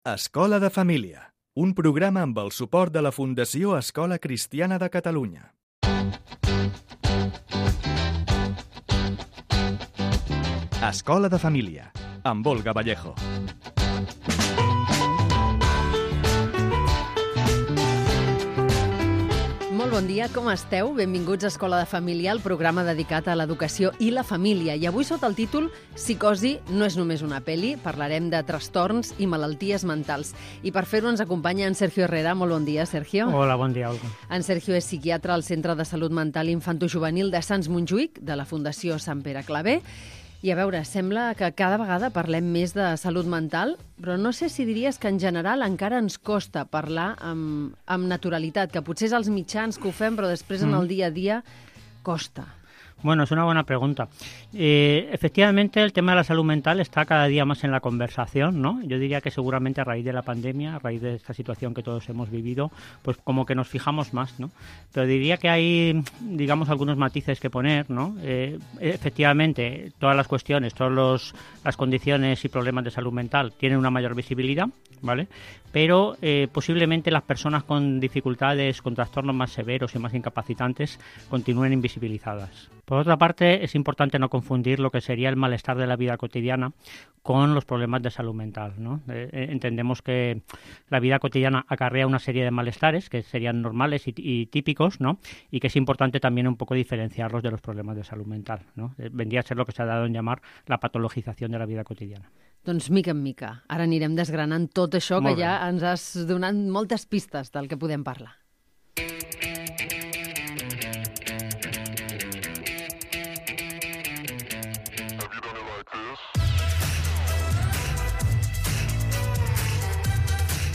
Escola de Família, un programa amb el suport de la Fundació Escola Cristiana de Catalunya. Escola de Família, amb Olga Vallejo. Molt bon dia, com esteu? Benvinguts a Escola de Família, el programa dedicat a l'educació i la família. I avui sota el títol Psicosi no és només una pel·li, parlarem de trastorns i malalties mentals. I per fer-ho ens acompanya en Sergio Herrera. Molt bon dia, Sergio. Hola, bon dia, Olga. En Sergio és psiquiatre al Centre de Salut Mental Infantojuvenil de Sants Montjuïc, de la Fundació Sant Pere Claver. I a veure, sembla que cada vegada parlem més de salut mental, però no sé si diries que en general encara ens costa parlar amb naturalitat, que potser és als mitjans que ho fem, però després en el dia a dia costa. Bueno, es una buena pregunta. Efectivamente, el tema de la salud mental está cada día más en la conversación, ¿no? Yo diría que seguramente a raíz de la pandemia, a raíz de esta situación que todos hemos vivido, pues como que nos fijamos más, ¿no? Pero diría que hay, digamos, algunos matices que poner, ¿no? Efectivamente, todas las cuestiones, todas las condiciones y problemas de salud mental tienen una mayor visibilidad, ¿vale? Pero posiblemente las personas con dificultades, con trastornos más severos y más incapacitantes continúen invisibilizadas. Por otra parte, es importante no confundir lo que sería el malestar de la vida cotidiana con los problemas de salud mental, ¿no? Entendemos que la vida cotidiana acarrea una serie de malestares que serían normales y típicos, ¿no? Y que es importante también un poco diferenciarlos de los problemas de salud mental, ¿no? Vendría a ser lo que se ha dado en llamar la patologización de la vida cotidiana. Doncs mica en mica. Ara anirem desgranant tot això que ja ens has donat moltes pistes del que podem parlar.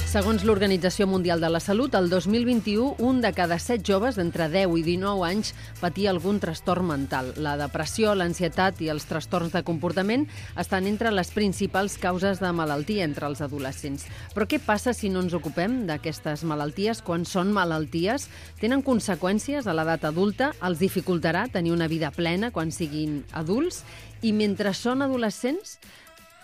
Segons l'Organització Mundial de la Salut, el 2021, un de cada 7 joves d'entre 10 i 19 anys patia algun trastorn mental. La depressió, l'ansietat i els trastorns de comportament estan entre les principals causes de malaltia entre els adolescents. Però què passa si no ens ocupem d'aquestes malalties quan són malalties? Tenen conseqüències a l'edat adulta? Els dificultarà tenir una vida plena quan siguin adults? I mentre són adolescents,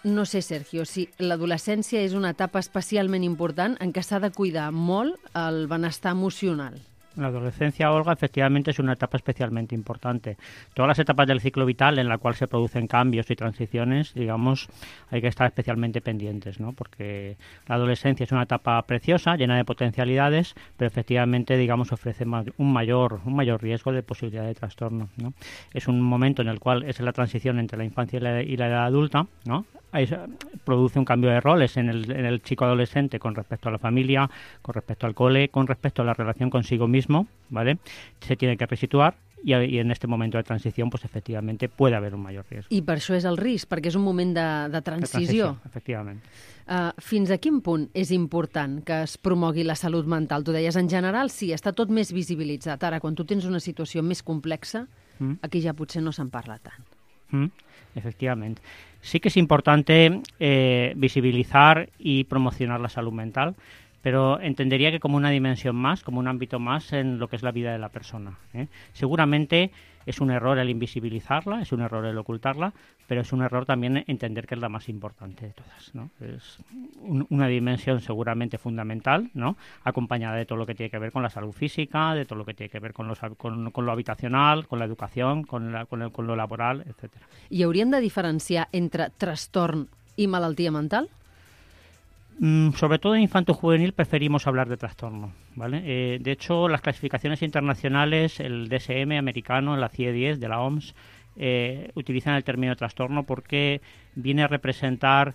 no sé, Sergio, si l'adolescència és una etapa especialment important en què s'ha de cuidar molt el benestar emocional. La adolescencia, Olga, efectivamente es una etapa especialmente importante. Todas las etapas del ciclo vital en la cual se producen cambios y transiciones, digamos, hay que estar especialmente pendientes, ¿no? Porque la adolescencia es una etapa preciosa, llena de potencialidades, pero efectivamente, digamos, ofrece un mayor riesgo de posibilidad de trastorno, ¿no? Es un momento en el cual es la transición entre la infancia y la edad adulta, ¿no? Ahí produce un cambio de roles en el chico adolescente con respecto a la familia, con respecto al cole, con respecto a la relación consigo mismo, ¿vale? Se tiene que resituar y en este momento de transición, pues efectivamente puede haver un mayor riesgo. I per això és el risc, perquè és un moment de transició. Efectivament. Fins a quin punt és important que es promogui la salut mental? Tu deies, en general, sí, està tot més visibilitzat. Ara, quan tu tens una situació més complexa, aquí ja potser no se'n parla tant. Efectivamente. Sí que es importante visibilizar y promocionar la salud mental, pero entendería que como una dimensión más, como un ámbito más en lo que es la vida de la persona, ¿eh? Seguramente es un error el invisibilizarla, es un error el ocultarla, pero es un error también entender que es la más importante de todas, ¿no? Es una dimensión seguramente fundamental, ¿no? Acompañada de todo lo que tiene que ver con la salud física, de todo lo que tiene que ver con lo habitacional, con la educación, con lo laboral, etcétera. I hauríem de diferenciar entre trastorn i malaltia mental? Sobre todo en infanto-juvenil preferimos hablar de trastorno, ¿vale? De hecho, las clasificaciones internacionales, el DSM americano, la CIE-10 de la OMS, utilizan el término trastorno porque viene a representar,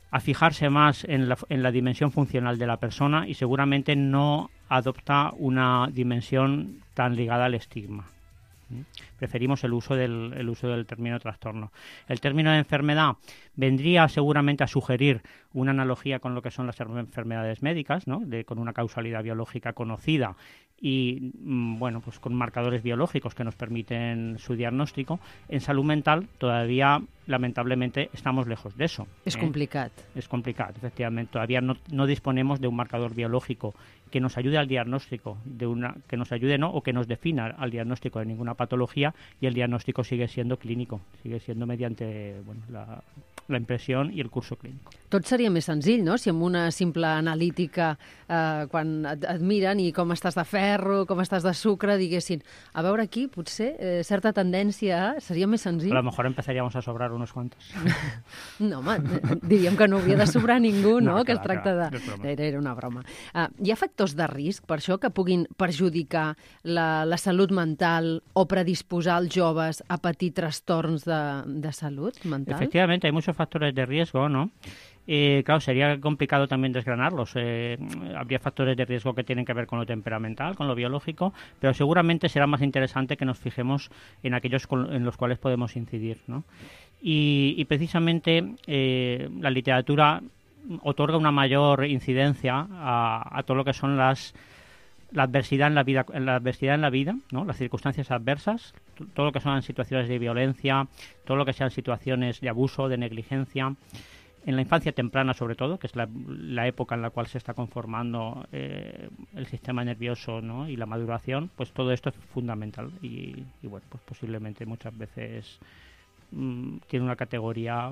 a fijarse más en la dimensión funcional de la persona y seguramente no adopta una dimensión tan ligada al estigma. Preferimos el uso del término trastorno. El término de enfermedad vendría seguramente a sugerir una analogía con lo que son las enfermedades médicas, ¿no? Con una causalidad biológica conocida y bueno, pues con marcadores biológicos que nos permiten su diagnóstico. En salud mental todavía, lamentablemente, estamos lejos de eso. És complicat. Es complicado, efectivamente. Todavía no disponemos de un marcador biológico que nos ayude al diagnóstico, que nos ayude, ¿no? O que nos defina al diagnóstico de ninguna patología, y el diagnóstico sigue siendo clínico, sigue siendo mediante la impresión y el curso clínico. Tot seria més senzill, no?, si amb una simple analítica, quan et miren i com estàs de ferro, com estàs de sucre, diguessin, a veure aquí, potser, certa tendència, seria més senzill. A lo mejor empezaríamos a sobrar unos cuantos. No, home, diríem que no hauria de sobrar ningú, no? Que es clar, tracta de... Era una broma. Hi ha factors de risc, per això, que puguin perjudicar la salut mental o predisposar els joves a patir trastorns de salut mental? Efectivamente, hay muchos factores de riesgo, ¿no? Claro, sería complicado también desgranarlos. Habría factores de riesgo que tienen que ver con lo temperamental, con lo biológico, pero seguramente será más interesante que nos fijemos en aquellos en los cuales podemos incidir, ¿no? Y precisamente la literatura otorga una mayor incidencia a todo lo que son la adversidad en la vida, ¿no? Las circunstancias adversas, todo lo que son situaciones de violencia, todo lo que sean situaciones de abuso, de negligencia, en la infancia temprana sobre todo, que es la época en la cual se está conformando el sistema nervioso, ¿no? Y la maduración, pues todo esto es fundamental y bueno, pues posiblemente muchas veces tiene una categoria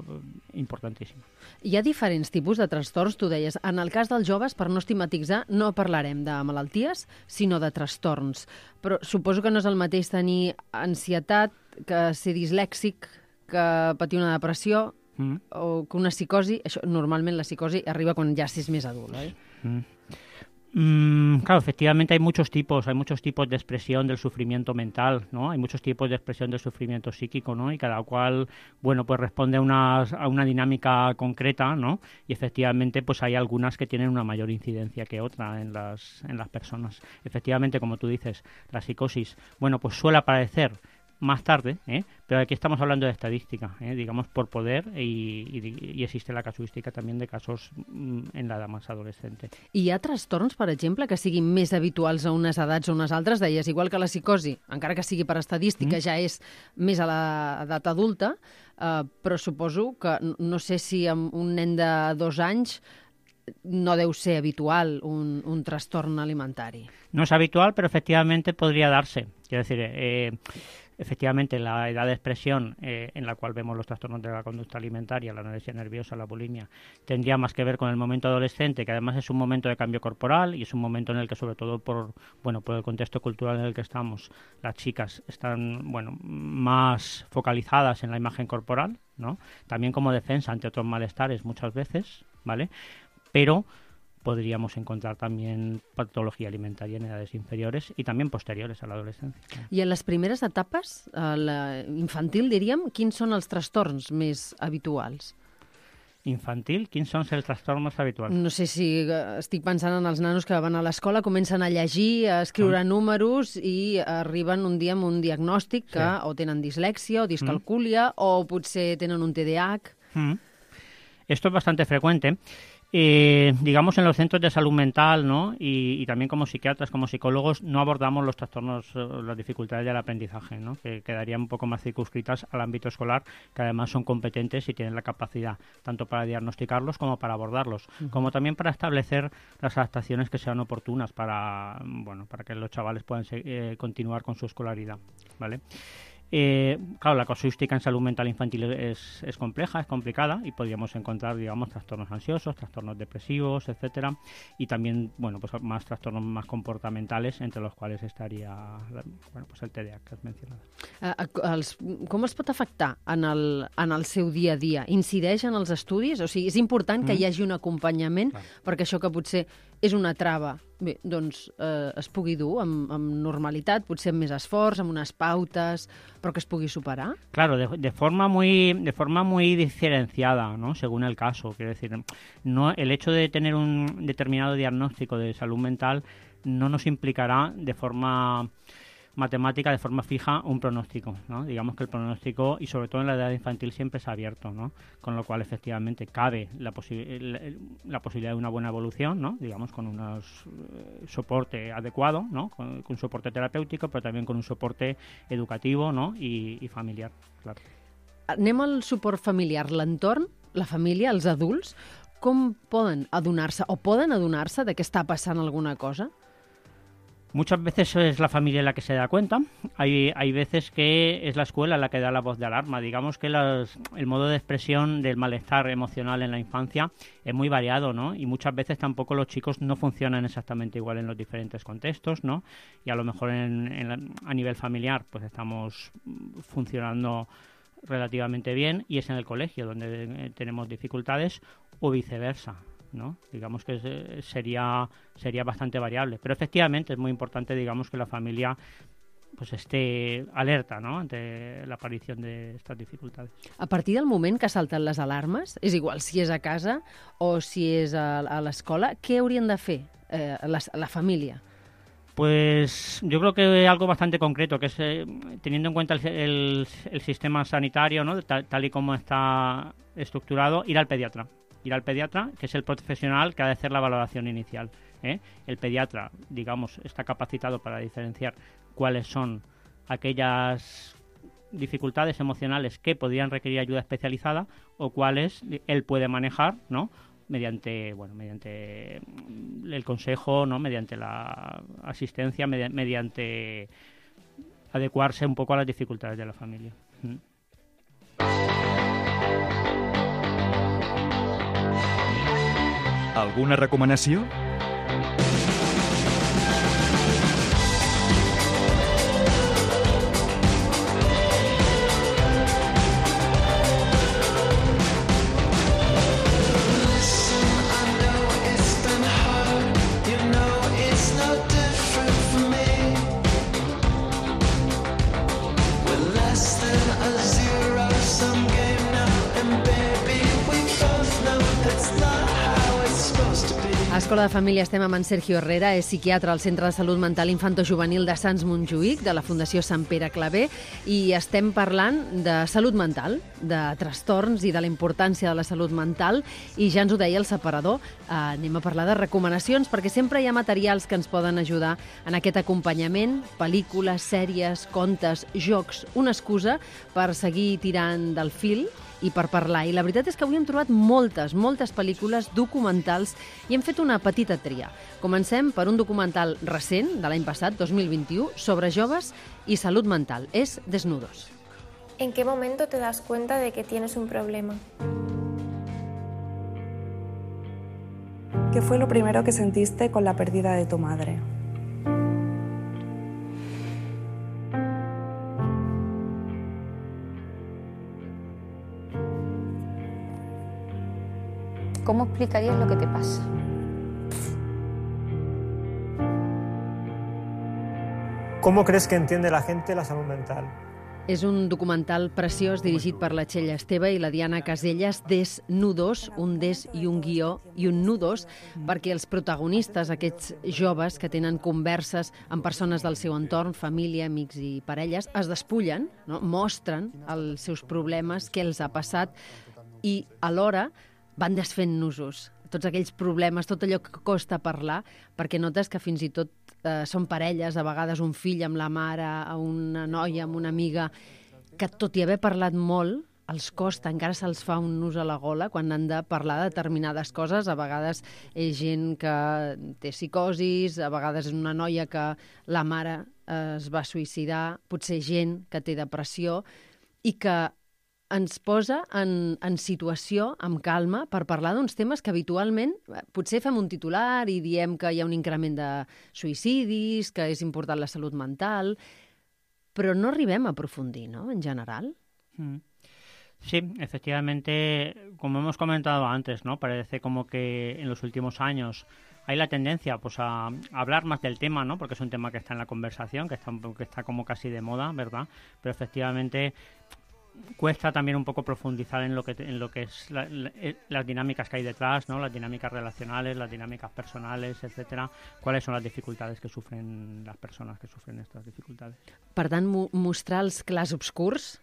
importantíssima. Hi ha diferents tipus de trastorns, tu deies. En el cas dels joves, per no estigmatitzar, no parlarem de malalties, sinó de trastorns. Però suposo que no és el mateix tenir ansietat que ser dislèxic, que patir una depressió o que una psicosi. Això, normalment la psicosi arriba quan ja s'és més adult, oi? Claro, efectivamente hay muchos tipos de expresión del sufrimiento mental, ¿no? Hay muchos tipos de expresión del sufrimiento psíquico, ¿no? Y cada cual, bueno, pues responde a una dinámica concreta, ¿no? Y efectivamente, pues hay algunas que tienen una mayor incidencia que otra en las personas. Efectivamente, como tú dices, la psicosis, bueno, pues suele aparecer más tarde, pero aquí estamos hablando de estadística, digamos, por poder, y existe la casuística també de casos en l'edat més adolescente. I hi ha trastorns, per exemple, que siguin més habituals a unes edats o unes altres? Deies, igual que la psicosi, encara que sigui per estadística, ja és més a l'edat adulta, però suposo que, no sé si amb un nen de 2 anys no deu ser habitual un trastorn alimentari. No es habitual, pero efectivamente podría darse. Quiero decir, efectivamente, la edad de expresión en la cual vemos los trastornos de la conducta alimentaria, la anorexia nerviosa, la bulimia, tendría más que ver con el momento adolescente, que además es un momento de cambio corporal y es un momento en el que, sobre todo por el contexto cultural en el que estamos, las chicas están más focalizadas en la imagen corporal, ¿no? También como defensa ante otros malestares muchas veces, ¿vale? Pero podríamos encontrar también patología alimentaria en edades inferiores y también posteriores a la adolescencia. I en les primeres etapes, a la infantil, diríem, quins són els trastorns més habituals? Infantil, quins són els trastorns més habituals? No sé si estic pensant en els nanos que van a l'escola, comencen a llegir, a escriure números i arriben un dia amb un diagnòstic que o tenen dislèxia o discalcúlia o potser tenen un TDAH. Esto es bastante frecuente. Digamos, en los centros de salud mental, ¿no? Y también como psiquiatras, como psicólogos, no abordamos los trastornos, las dificultades del aprendizaje, ¿no? Que quedarían un poco más circunscritas al ámbito escolar, que además son competentes y tienen la capacidad tanto para diagnosticarlos como para abordarlos, como también para establecer las adaptaciones que sean oportunas para que los chavales puedan continuar con su escolaridad, ¿vale? Claro, la casuística en salud mental infantil es compleja, es complicada y podríamos encontrar, digamos, trastornos ansiosos, trastornos depresivos, etcétera, y también, pues más trastornos más comportamentales, entre los cuales estaría, pues el TDAH que has mencionado. Com es pot afectar en el seu dia a dia? Incideix en els estudis? O sigui, és important que hi hagi un acompanyament perquè això que potser és una trava, bé, doncs es pugui dur amb normalitat, potser amb més esforç, amb unes pautes, però que es pugui superar? Claro, de forma muy diferenciada, ¿no? Según el caso. Quiero decir, no, el hecho de tener un determinado diagnóstico de salud mental no nos implicará de forma matemática, de forma fija, un pronóstico, ¿no? Digamos que el pronóstico, y sobre todo en la edad infantil, siempre es abierto, ¿no? Con lo cual, efectivamente, cabe la posibilidad de una buena evolución, ¿no? Digamos, con un soporte adecuado, ¿no? Con un soporte terapéutico, però també con un soporte educativo, ¿no? I familiar, claro. Anem al suport familiar. L'entorn, la família, els adults, com poden adonar-se de que està passant alguna cosa? Muchas veces es la familia la que se da cuenta, hay veces que es la escuela la que da la voz de alarma. Digamos que el modo de expresión del malestar emocional en la infancia es muy variado, ¿no? Y muchas veces tampoco los chicos no funcionan exactamente igual en los diferentes contextos, ¿no? Y a lo mejor a nivel familiar pues estamos funcionando relativamente bien y es en el colegio donde tenemos dificultades o viceversa, ¿no? Digamos que sería bastante variable, pero efectivamente es muy importante, digamos, que la familia pues esté alerta, ¿no?, ante la aparición de estas dificultades. A partir del moment que salten les alarmes, és igual si és a casa o si és a l'escola, què haurien de fer la família? Pues yo creo que algo bastante concreto, que es teniendo en cuenta el sistema sanitario, ¿no?, tal y como está estructurado, ir al pediatra, que es el profesional que ha de hacer la valoración inicial, ¿eh? El pediatra, digamos, está capacitado para diferenciar cuáles son aquellas dificultades emocionales que podrían requerir ayuda especializada o cuáles él puede manejar, ¿no?, mediante el consejo, ¿no?, mediante la asistencia, mediante adecuarse un poco a las dificultades de la familia. Alguna recomanació? Escola de Família estem amb en Sergio Herrera, és psiquiatre al Centre de Salut Mental Infantojuvenil de Sants Montjuïc, de la Fundació Sant Pere Claver, i estem parlant de salut mental, de trastorns i de la importància de la salut mental, i ja ens ho deia el separador, anem a parlar de recomanacions, perquè sempre hi ha materials que ens poden ajudar en aquest acompanyament, pel·lícules, sèries, contes, jocs, una excusa per seguir tirant del fil i per parlar. I la veritat és que avui hem trobat moltes pel·lícules documentals i hem fet una petita tria. Comencem per un documental recent, de l'any passat, 2021, sobre joves i salut mental. És Desnudos. ¿En qué momento te das cuenta de que tienes un problema? ¿Qué fue lo primero que sentiste con la pérdida de tu madre? ¿Cómo explicarías lo que te pasa? ¿Cómo crees que entiende la gente la salud mental? És un documental preciós dirigit per la Txell Esteve i la Diana Caselles, Desnudos, un des i un guió i un nudos, perquè els protagonistes, aquests joves que tenen converses amb persones del seu entorn, família, amics i parelles, es despullen, no? Mostren els seus problemes, què els ha passat, i alhora van desfent nusos, tots aquells problemes, tot allò que costa parlar, perquè notes que fins i tot són parelles, a vegades un fill amb la mare, una noia amb una amiga, que tot i haver parlat molt, els costa, encara se'ls fa un nus a la gola quan han de parlar de determinades coses. A vegades és gent que té psicosis, a vegades és una noia que la mare es va suïcidar, potser gent que té depressió, i que ens posa en situació, amb calma, per parlar d'uns temes que habitualment potser fem un titular i diem que hi ha un increment de suïcidis, que és important la salut mental, però no arribem a aprofundir, ¿no?, en general. Sí, efectivamente, como hemos comentado antes, ¿no?, parece como que en los últimos años hay la tendencia pues a hablar más del tema, ¿no?, porque es un tema que está en la conversación, que está como casi de moda, ¿verdad? Pero efectivamente cuesta también un poco profundizar en lo que es las dinámicas que hay detrás, ¿no?, las dinámicas relacionales, las dinámicas personales, etcétera. ¿Cuáles son las dificultades que sufren las personas que sufren estas dificultades? Per tant, mostrar els clars obscurs,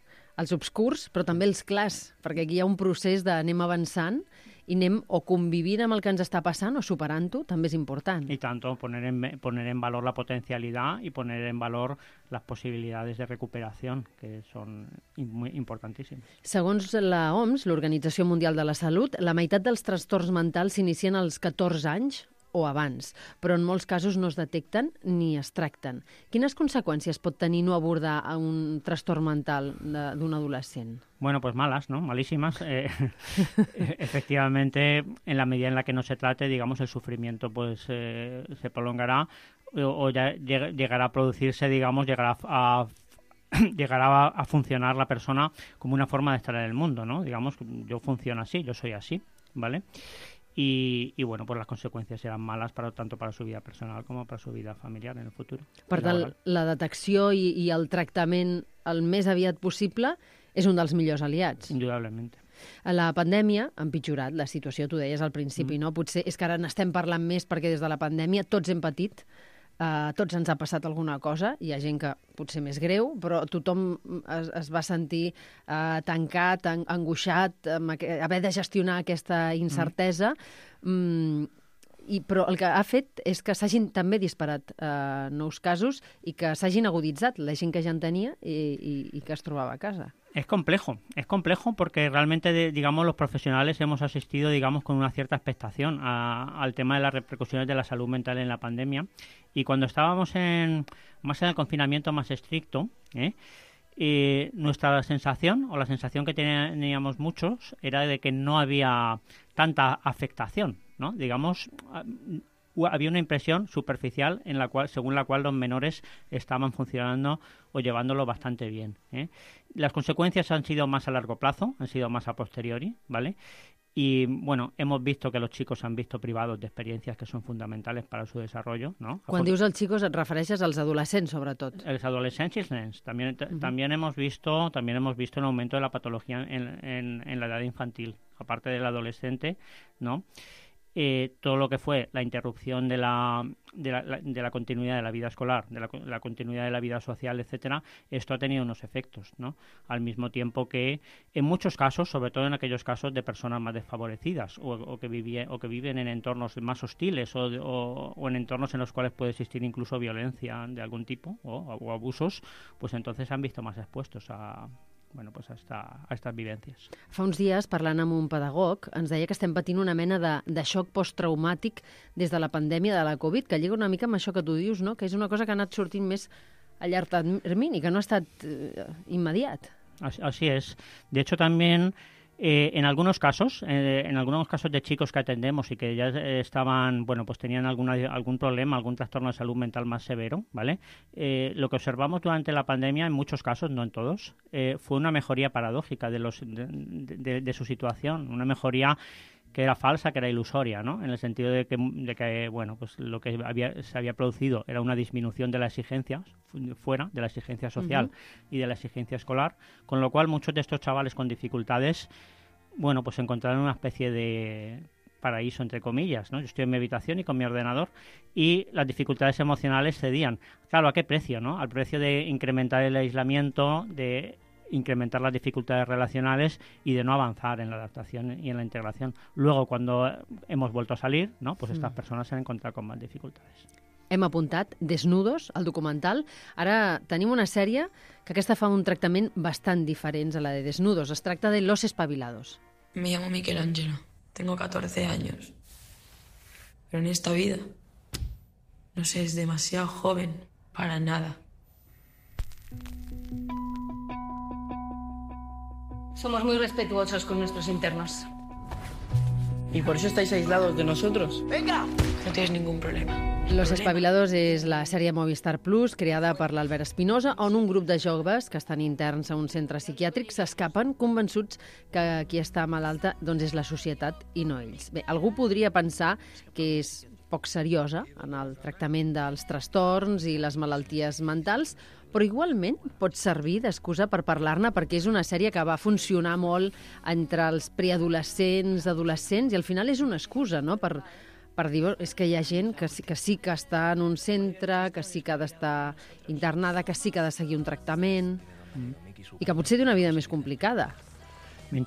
però també els clars, perquè aquí hi ha un procés d'anem avançant i anem o convivint amb el que ens està passant o superant-ho, també és important. Y tanto, poner en valor la potencialidad y poner en valor las posibilidades de recuperación, que son muy importantísimes. Segons la OMS, l'Organització Mundial de la Salut, la meitat dels trastorns mentals s'inicien als 14 anys o abans, però en molts casos no es detecten ni es tracten. Quines conseqüències pot tenir no abordar un trastorn mental d'un adolescent? Bueno, pues malas, ¿no? Malísimas. Efectivamente, en la medida en la que no se trate, digamos, el sufrimiento pues se prolongará o ya llegará a producirse, digamos, llegará a funcionar la persona como una forma de estar en el mundo, ¿no? Digamos, yo funciono así, yo soy así, ¿vale? I bueno, pues les conseqüències seran males tanto para su vida personal com per su vida familiar en el futur. Per tant, la detecció i el tractament el més aviat possible és un dels millors aliats. Indudablement. La pandèmia ha empitjorat la situació, tu deies al principi, no? Potser és que ara n'estem parlant més perquè des de la pandèmia tots hem patit, tots ens ha passat alguna cosa, hi ha gent que potser més greu, però tothom es va sentir tancat, angoixat, haver de gestionar aquesta incertesa, però el que ha fet és que s'hagin també disparat nous casos i que s'hagin aguditzat la gent que ja en tenia i que es trobava a casa. Es complejo porque realmente, digamos, los profesionales hemos asistido, digamos, con una cierta expectación al tema de las repercusiones de la salud mental en la pandemia. Y cuando estábamos más en el confinamiento más estricto, nuestra sensación, o la sensación que teníamos muchos, era de que no había tanta afectación, ¿no? Digamos, había una impresión superficial según la cual los menores estaban funcionando o llevándolo bastante bien, ¿eh? Las consecuencias han sido más a largo plazo, han sido más a posteriori, ¿vale? Y, bueno, hemos visto que los chicos han visto privados de experiencias que son fundamentales para su desarrollo, ¿no? Quan dius els xicos et refereixes als adolescents, sobretot. Els adolescents i els nens. También hemos visto un aumento de la patología en la edad infantil, aparte del adolescente, ¿no? Todo lo que fue la interrupción de la continuidad de la vida escolar, de la continuidad de la vida social, etcétera, esto ha tenido unos efectos, ¿no? Al mismo tiempo que en muchos casos, sobre todo en aquellos casos de personas más desfavorecidas o que viven en entornos más hostiles o en entornos en los cuales puede existir incluso violencia de algún tipo o abusos, pues entonces se han visto más expuestos a estas vivències. Fa uns dies, parlant amb un pedagog, ens deia que estem patint una mena de xoc posttraumàtic des de la pandèmia de la Covid, que lliga una mica amb això que tu dius, no? Que és una cosa que ha anat sortint més a llarg termini, que no ha estat immediat. Así es. De hecho, también en algunos casos de chicos que atendemos y que ya estaban, bueno, pues tenían algún problema, algún trastorno de salud mental más severo, ¿vale? Lo que observamos durante la pandemia, en muchos casos, no en todos, fue una mejoría paradójica de su situación, una mejoría que era falsa, que era ilusoria, ¿no? En el sentido de que bueno, pues lo que se había producido era una disminución de la exigencia fuera, de la exigencia social y de la exigencia escolar, con lo cual muchos de estos chavales con dificultades, bueno, pues encontraron una especie de paraíso, entre comillas, ¿no? Yo estoy en mi habitación y con mi ordenador y las dificultades emocionales cedían. Claro, ¿a qué precio, no? Al precio de incrementar el aislamiento, de incrementar las dificultades relacionales y de no avanzar en la adaptación y en la integración. Luego, cuando hemos vuelto a salir, ¿no? Pues estas persones s'han encontrat con más dificultades. Hem apuntat Desnudos, el documental. Ara tenim una sèrie que aquesta fa un tractament bastant diferent a la de Desnudos. Es tracta de Los Espabilados. Me llamo Michelangelo, tengo 14 años. Pero en esta vida, no sé, es demasiado joven para nada. Somos muy respetuosos con nuestros internos. ¿Y por eso estáis aislados de nosotros? ¡Venga! No tienes ningún problema. Los Espabilados és la sèrie Movistar Plus creada per l'Albert Espinosa, on un grup de joves que estan interns a un centre psiquiàtric s'escapen convençuts que qui està malalta doncs és la societat i no ells. Bé, algú podria pensar que és poc seriosa en el tractament dels trastorns i les malalties mentals, però igualment pot servir d'excusa per parlar-ne perquè és una sèrie que va funcionar molt entre els preadolescents, adolescents, i al final és una excusa, no?, per dir, és que hi ha gent que sí que està en un centre, que sí que ha d'estar internada, que sí que ha de seguir un tractament, i que potser té una vida més complicada. Me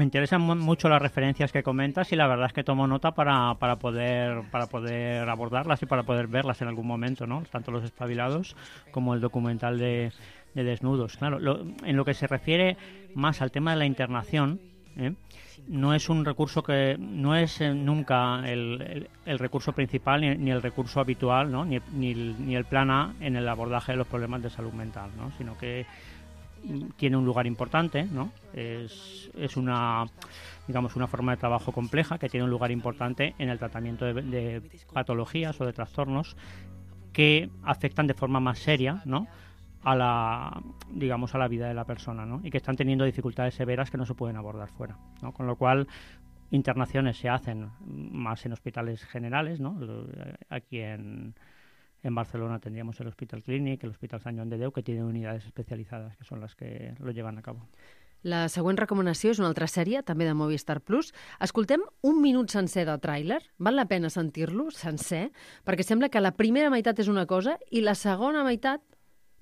interesan mucho las referencias que comentas y la verdad es que tomo nota para poder abordarlas y para poder verlas en algún momento, ¿no? Tanto Los Espabilados como el documental de Desnudos. Claro, en lo que se refiere más al tema de la internación, No es un recurso que no es nunca el recurso principal ni el recurso habitual, ¿no? ni el plan A en el abordaje de los problemas de salud mental, ¿no? Sino que tiene un lugar importante, ¿no? Es una forma de trabajo compleja que tiene un lugar importante en el tratamiento de patologías o de trastornos que afectan de forma más seria, ¿no? a la vida de la persona, ¿no? Y que están teniendo dificultades severas que no se pueden abordar fuera, ¿no? Con lo cual internaciones se hacen más en hospitales generales, ¿no? Aquí en Barcelona tendríamos el Hospital Clínic, el Hospital Sant Joan de Déu, que tienen unidades especializadas que son las que lo llevan a cabo. La següent recomanació és una altra sèrie, també de Movistar Plus. Escoltem un minut sencer de tràiler. Val la pena sentir-lo sencer, perquè sembla que la primera meitat és una cosa i la segona meitat,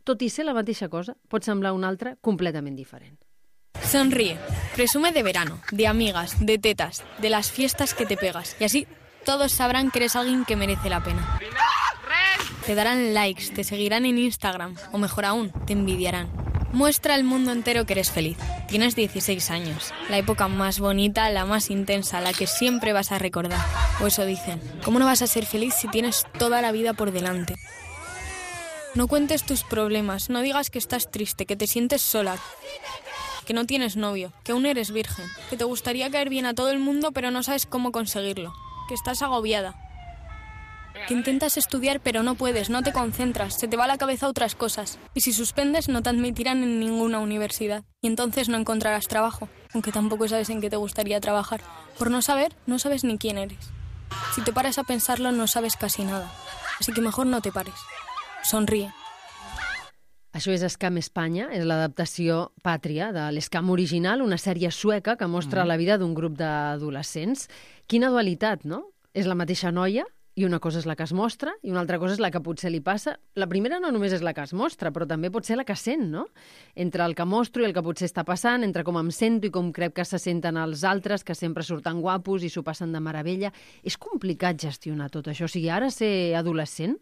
tot i ser la mateixa cosa, pot semblar una altra completament diferent. Sonríe, presume de verano, de amigas, de tetas, de las fiestas que te pegas. Y así todos sabrán que eres alguien que merece la pena. Te darán likes, te seguirán en Instagram, o mejor aún, te envidiarán. Muestra al mundo entero que eres feliz. Tienes 16 años, la época más bonita, la más intensa, la que siempre vas a recordar. O eso dicen. ¿Cómo no vas a ser feliz si tienes toda la vida por delante? No cuentes tus problemas, no digas que estás triste, que te sientes sola, que no tienes novio, que aún eres virgen, que te gustaría caer bien a todo el mundo pero no sabes cómo conseguirlo, que estás agobiada, que intentas estudiar pero no puedes, no te concentras, se te va a la cabeza otras cosas. Y si suspendes no te admitirán en ninguna universidad. Y entonces no encontrarás trabajo, aunque tampoco sabes en qué te gustaría trabajar. Por no saber, no sabes ni quién eres. Si te paras a pensarlo no sabes casi nada. Así que mejor no te pares. Sonríe. Això és Scam Espanya, és l'adaptació Pàtria de l'Scam original, una sèrie sueca que mostra la vida d'un grup d'adolescents. Quina dualitat, no? És la mateixa noia i una cosa és la que es mostra i una altra cosa és la que potser li passa. La primera no només és la que es mostra, però també pot ser la que sent, no? Entre el que mostro i el que potser està passant, entre com em sento i com crec que se senten els altres, que sempre surten guapos i s'ho passen de meravella. És complicat gestionar tot això. O sigui, ara ser adolescent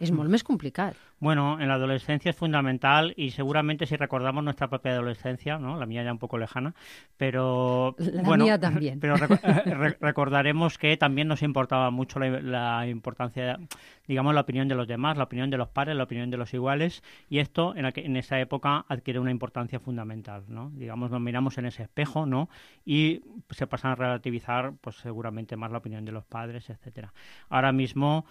es molt més complicat. Bueno, en la adolescencia es fundamental y seguramente si recordamos nuestra propia adolescencia, ¿no? La mía ya un poco lejana, pero la mía también. Pero recordaremos que también nos importaba mucho la importancia, digamos, la opinión de los demás, la opinión de los pares, la opinión de los iguales, y esto en esa época adquiere una importancia fundamental, ¿no? Digamos, nos miramos en ese espejo, ¿no? Y se pasan a relativizar, pues seguramente más la opinión de los padres, etcétera. Ahora mismo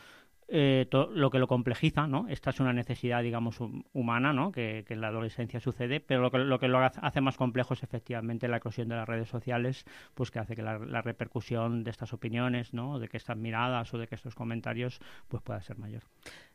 lo que lo complejiza, ¿no? Esta es una necesidad, digamos, humana, ¿no? Que en la adolescencia sucede, pero lo que lo hace más complejo es efectivamente la eclosión de las redes sociales, pues que hace que la repercusión de estas opiniones, ¿no? De que estas miradas o de que estos comentarios pues pueda ser mayor.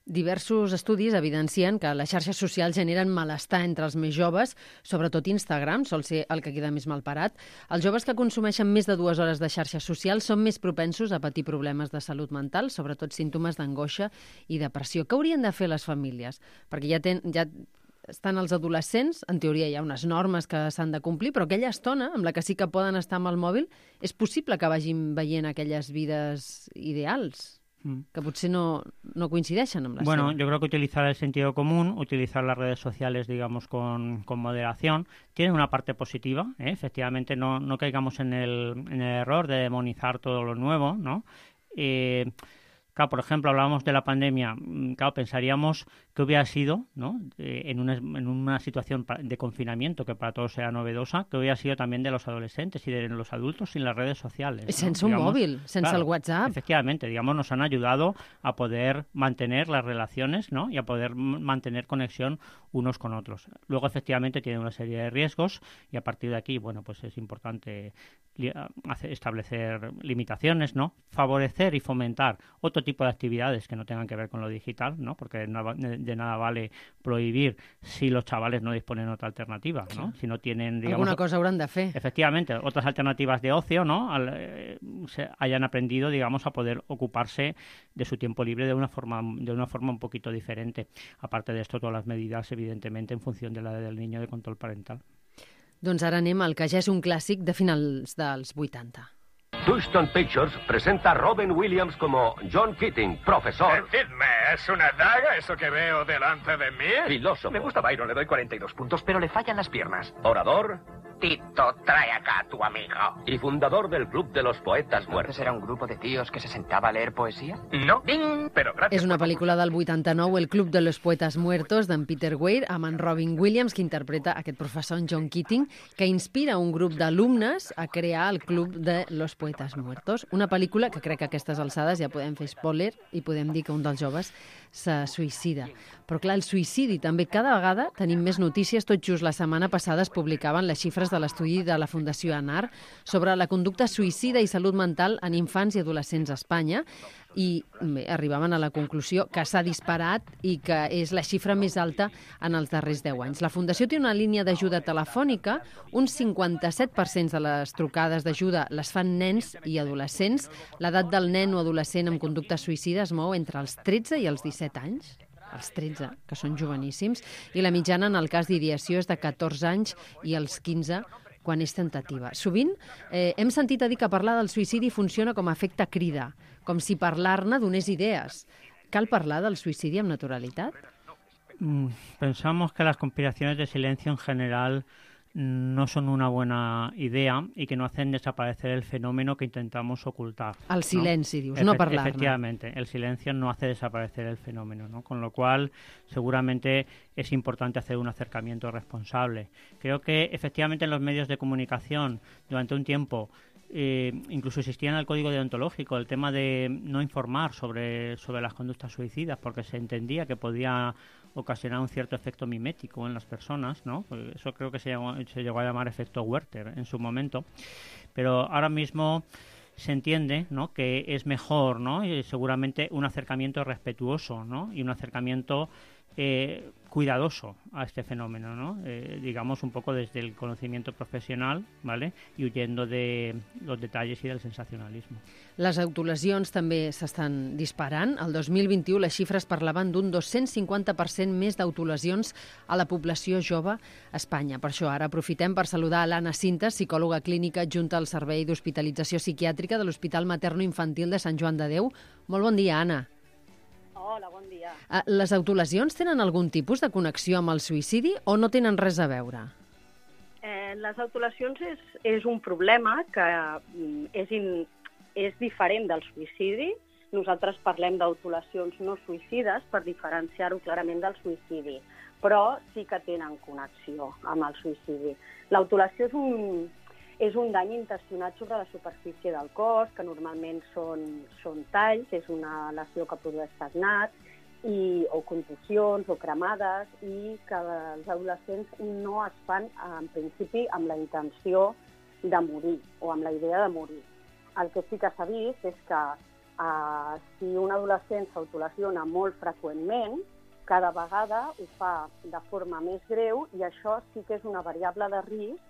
Diversos estudis evidencien que les xarxes socials generen malestar entre els més joves, sobretot Instagram, sol ser el que queda més malparat. Els joves que consumeixen més de 2 hores de xarxes socials són més propensos a patir problemes de salut mental, sobretot símptomes d'angoixa i depressió. Què haurien de fer les famílies? Perquè ja estan els adolescents, en teoria hi ha unes normes que s'han de complir, però aquella estona amb la que sí que poden estar amb el mòbil, és possible que vagin veient aquelles vides ideals que potser no coincideixen amb la Bueno, seva. yo creo que utilizar el sentido común, utilizar las redes sociales, digamos, con moderación, tiene una parte positiva, ¿eh? Efectivamente, no caigamos en el error de demonizar todo lo nuevo, ¿no? Claro, por ejemplo, hablábamos de la pandemia, claro, pensaríamos que hubiera sido, ¿no? En una situación de confinamiento que para todos era novedosa, que hubiera sido también de los adolescentes y de los adultos sin las redes sociales, ¿no? Sense un móvil, sense el WhatsApp. Efectivamente, digamos, nos han ayudado a poder mantener las relaciones, ¿no? Y a poder mantener conexión unos con otros. Luego, efectivamente, tiene una serie de riesgos y a partir de aquí, bueno, pues es importante establecer limitaciones, ¿no? Favorecer y fomentar otro tipo de actividades que no tengan que ver con lo digital, ¿no? Porque de nada vale prohibir si los chavales no disponen de otra alternativa, ¿no? Si no tienen, digamos... Alguna cosa hauran de fer. Efectivamente, otras alternativas de ocio, ¿no? Hayan aprendido, digamos, a poder ocuparse de su tiempo libre de una forma un poquito diferente. Aparte de esto, todas las medidas, evidentemente, en función de la edad del niño de control parental. Doncs ara anem al que ja és un clàssic de finals dels 80. Touchstone Pictures presenta a Robin Williams como John Keating, profesor... Decidme, ¿es una daga eso que veo delante de mí? Filósofo. Me gusta Byron, le doy 42 puntos, pero le fallan las piernas. Orador Tito, trae acá a tu amigo. Y fundador del Club de los Poetas Muertos. ¿Era un grupo de tíos que se sentaba a leer poesía? No, pero gracias. És una pel·lícula del 89, El Club de los Poetas Muertos, d'en Peter Weir, amb en Robin Williams, que interpreta aquest professor, en John Keating, que inspira un grup d'alumnes a crear el Club de los Poetas Muertos. Una pel·lícula que crec que a aquestes alçades ja podem fer spoiler i podem dir que un dels joves se suïcida. Però clar, el suïcidi també cada vegada tenim més notícies. Tot just la setmana passada es publicaven les xifres de l'estudi de la Fundació ANAR sobre la conducta suïcida i salut mental en infants i adolescents a Espanya i bé, arribaven a la conclusió que s'ha disparat i que és la xifra més alta en els darrers 10 anys. La Fundació té una línia d'ajuda telefònica, un 57% de les trucades d'ajuda les fan nens i adolescents. L'edat del nen o adolescent amb conducta suïcida es mou entre els 13 i els 17 anys, els 13, que són joveníssims, i la mitjana en el cas d'ideació és de 14 anys i els 15 quan és tentativa. Sovint hem sentit a dir que parlar del suïcidi funciona com a efecte crida, com si parlar-ne donés idees. Cal parlar del suïcidi amb naturalitat? Pensamos que las conspiraciones de silencio en general no son una buena idea y que no hacen desaparecer el fenómeno que intentamos ocultar. El silenci, ¿no? Dius, no parlar-ne. Efectivamente, el silencio no hace desaparecer el fenómeno, ¿no? Con lo cual, seguramente es importante hacer un acercamiento responsable. Creo que, efectivamente, en los medios de comunicación, durante un tiempo, incluso existía en el código deontológico el tema de no informar sobre las conductas suicidas porque se entendía que podía ocasionar un cierto efecto mimético en las personas, ¿no? Eso creo que se llegó a llamar efecto Werther en su momento, pero ahora mismo se entiende, ¿no?, que es mejor, ¿no?, y seguramente un acercamiento respetuoso, ¿no?, y un acercamiento cuidadoso a este fenómeno, ¿no? Digamos un poco desde el conocimiento profesional, ¿vale?, y huyendo de los detalles y del sensacionalismo. Les autolesions també s'estan disparant. El 2021 les xifres parlaven d'un 250% més d'autolesions a la població jove a Espanya. Per això ara aprofitem per saludar a l'Anna Cintas, psicòloga clínica adjunta al Servei d'Hospitalització Psiquiàtrica de l'Hospital Materno-Infantil de Sant Joan de Déu. Molt bon dia, Anna. Hola, bon dia. Les autolesions tenen algun tipus de connexió amb el suïcidi o no tenen res a veure? Les autolesions és un problema que és diferent del suïcidi. Nosaltres parlem d'autolesions no suïcides per diferenciar-ho clarament del suïcidi, però sí que tenen connexió amb el suïcidi. L'autolació és un dany intencionat sobre la superfície del cos, que normalment són talls, és una lesió que produeix sagnat, o contusions o cremades, i que els adolescents no es fan, en principi, amb la intenció de morir o amb la idea de morir. El que sí que s'ha vist és que si un adolescent s'autolesiona molt freqüentment, cada vegada ho fa de forma més greu i això sí que és una variable de risc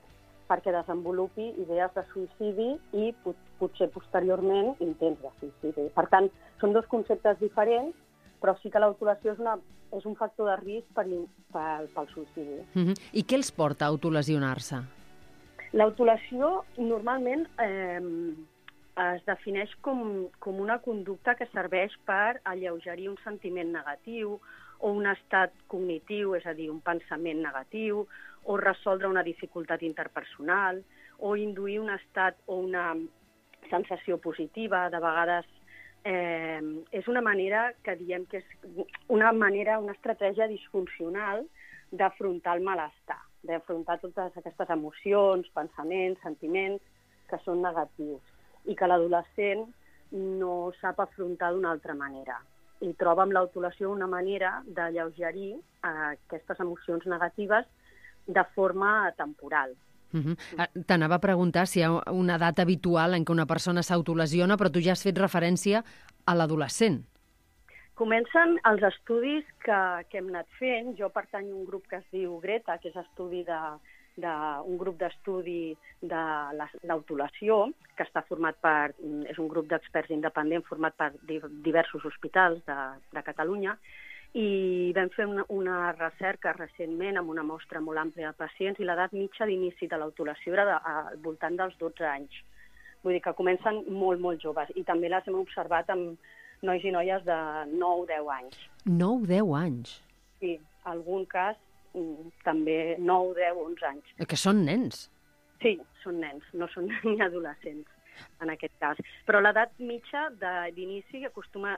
perquè desenvolupi idees de suïcidi i potser posteriorment intents de suïcidi. Per tant, són dos conceptes diferents, però sí que l'autolesió és un factor de risc pel suïcidi. I què els porta a autolesionar-se? L'autolesió normalment es defineix com una conducta que serveix per alleugerir un sentiment negatiu o un estat cognitiu, és a dir, un pensament negatiu, o resoldre una dificultat interpersonal, o induir un estat o una sensació positiva. De vegades és una manera que diem que és una estratègia disfuncional d'afrontar el malestar, d'afrontar totes aquestes emocions, pensaments, sentiments que són negatius i que l'adolescent no sap afrontar d'una altra manera. I troba amb l'autolació una manera d'alleugerir aquestes emocions negatives de forma temporal. T'anava a preguntar si hi ha una edat habitual en què una persona s'autolesiona, però tu ja has fet referència a l'adolescent. Comencen els estudis que hem anat fent. Jo pertanyo a un grup que es diu Greta, que és un grup d'estudi de l'autolació, que està format és un grup d'experts independent format per diversos hospitals de Catalunya, i vam fer una recerca recentment amb una mostra molt àmplia de pacients i l'edat mitja d'inici de l'autolació era al voltant dels 12 anys. Vull dir que comencen molt, molt joves, i també les hem observat amb nois i noies de 9-10 anys. 9-10 anys? Sí, algun cas també 9, 10, 11 anys. Que són nens. Sí, són nens, no són ni adolescents en aquest cas. Però l'edat mitja d'inici acostuma,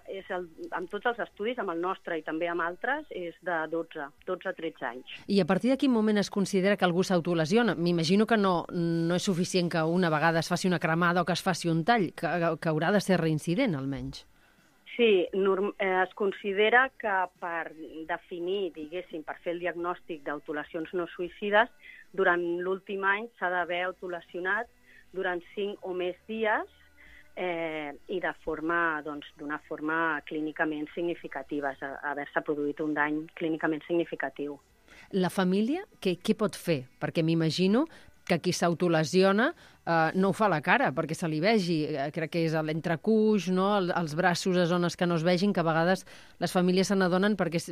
amb tots els estudis, amb el nostre i també amb altres, és de 12 a 13 anys. I a partir de quin moment es considera que algú s'autolesiona? M'imagino que no és suficient que una vegada es faci una cremada o que es faci un tall, que haurà de ser reincident, almenys. Sí, es considera que per definir, diguéssim, per fer el diagnòstic d'autolacions no suïcides, durant l'últim any s'ha d'haver autolesionat durant 5 o més dies i d'una forma clínicament significativa, haver-se produït un dany clínicament significatiu. La família, què pot fer? Perquè m'imagino que qui s'autolesiona no ho fa a la cara perquè se li vegi. Crec que és a l'entrecuix, no? Els braços a zones que no es vegin, que a vegades les famílies se n'adonen perquè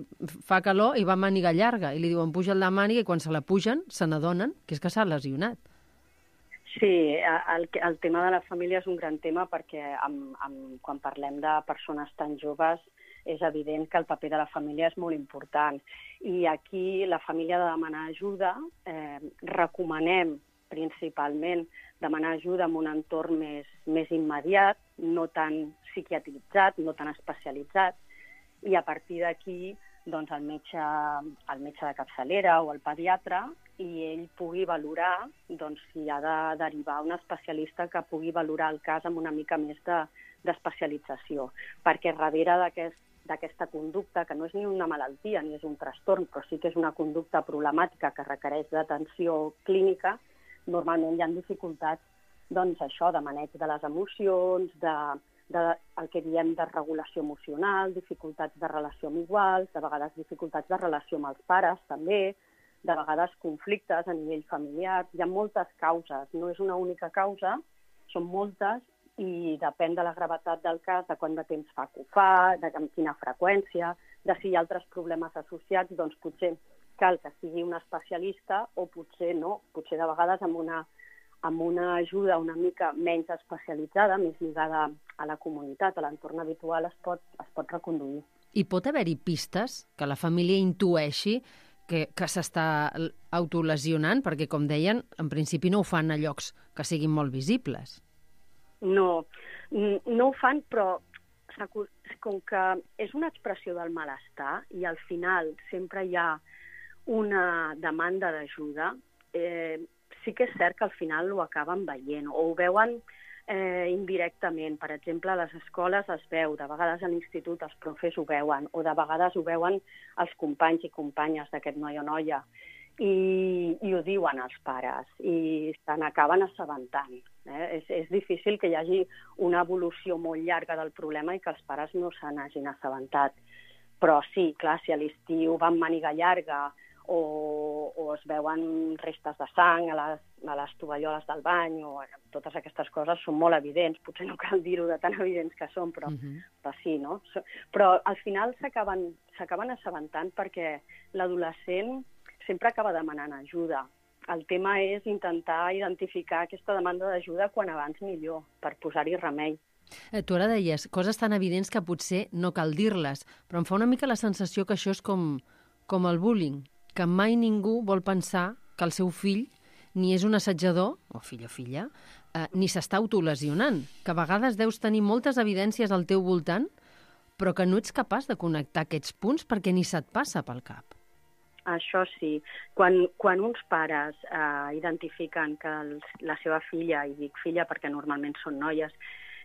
fa calor i va màniga llarga i li diuen puja't la màniga i quan se la pugen se n'adonen que és que s'ha lesionat. Sí, el tema de la família és un gran tema perquè quan parlem de persones tan joves és evident que el paper de la família és molt important. I aquí la família ha de demanar ajuda. Recomanem principalment demanar ajuda en un entorn més immediat, no tan psiquiatritzat, no tan especialitzat, i a partir d'aquí doncs, el metge de capçalera o el pediatre, i ell pugui valorar si ha de derivar un especialista que pugui valorar el cas amb una mica més d'especialització. Perquè darrere d'aquesta conducta, que no és ni una malaltia ni és un trastorn, però sí que és una conducta problemàtica que requereix d'atenció clínica, normalment hi ha dificultats de maneig de les emocions, el que diem de regulació emocional, dificultats de relació amb iguals, de vegades dificultats de relació amb els pares també, de vegades conflictes a nivell familiar. Hi ha moltes causes, no és una única causa, són moltes i depèn de la gravetat del cas, de quant de temps fa que ho fa, amb quina freqüència, de si hi ha altres problemes associats, doncs potser cal que sigui un especialista o potser no, potser de vegades amb una ajuda una mica menys especialitzada, més lligada a la comunitat, a l'entorn habitual, es pot reconduir. I pot haver-hi pistes que la família intueixi que s'està autolesionant? Perquè, com deien, en principi no ho fan a llocs que siguin molt visibles. No ho fan, però com que és una expressió del malestar i al final sempre hi ha una demanda d'ajuda, sí que és cert que al final ho acaben veient o ho veuen indirectament. Per exemple, a les escoles es veu, de vegades a l'institut els profes ho veuen o de vegades ho veuen els companys i companyes d'aquest noi o noia i ho diuen als pares i se n'acaben assabentant. És difícil que hi hagi una evolució molt llarga del problema i que els pares no se n'hagin assabentat. Però sí, clar, si a l'estiu van màniga llarga o es veuen restes de sang a les tovalloles del bany o totes aquestes coses són molt evidents. Potser no cal dir-ho de tan evidents que són, però sí, no? Però al final s'acaben assabentant perquè l'adolescent sempre acaba demanant ajuda. El tema és intentar identificar aquesta demanda d'ajuda quan abans millor, per posar-hi remei. Tu ara deies coses tan evidents que potser no cal dir-les, però em fa una mica la sensació que això és com el bullying, que mai ningú vol pensar que el seu fill ni és un assetjador, o fill o filla, ni s'està autolesionant, que a vegades deus tenir moltes evidències al teu voltant, però que no ets capaç de connectar aquests punts perquè ni se't passa pel cap. Això sí. Quan uns pares identifiquen que la seva filla, i dic filla perquè normalment són noies,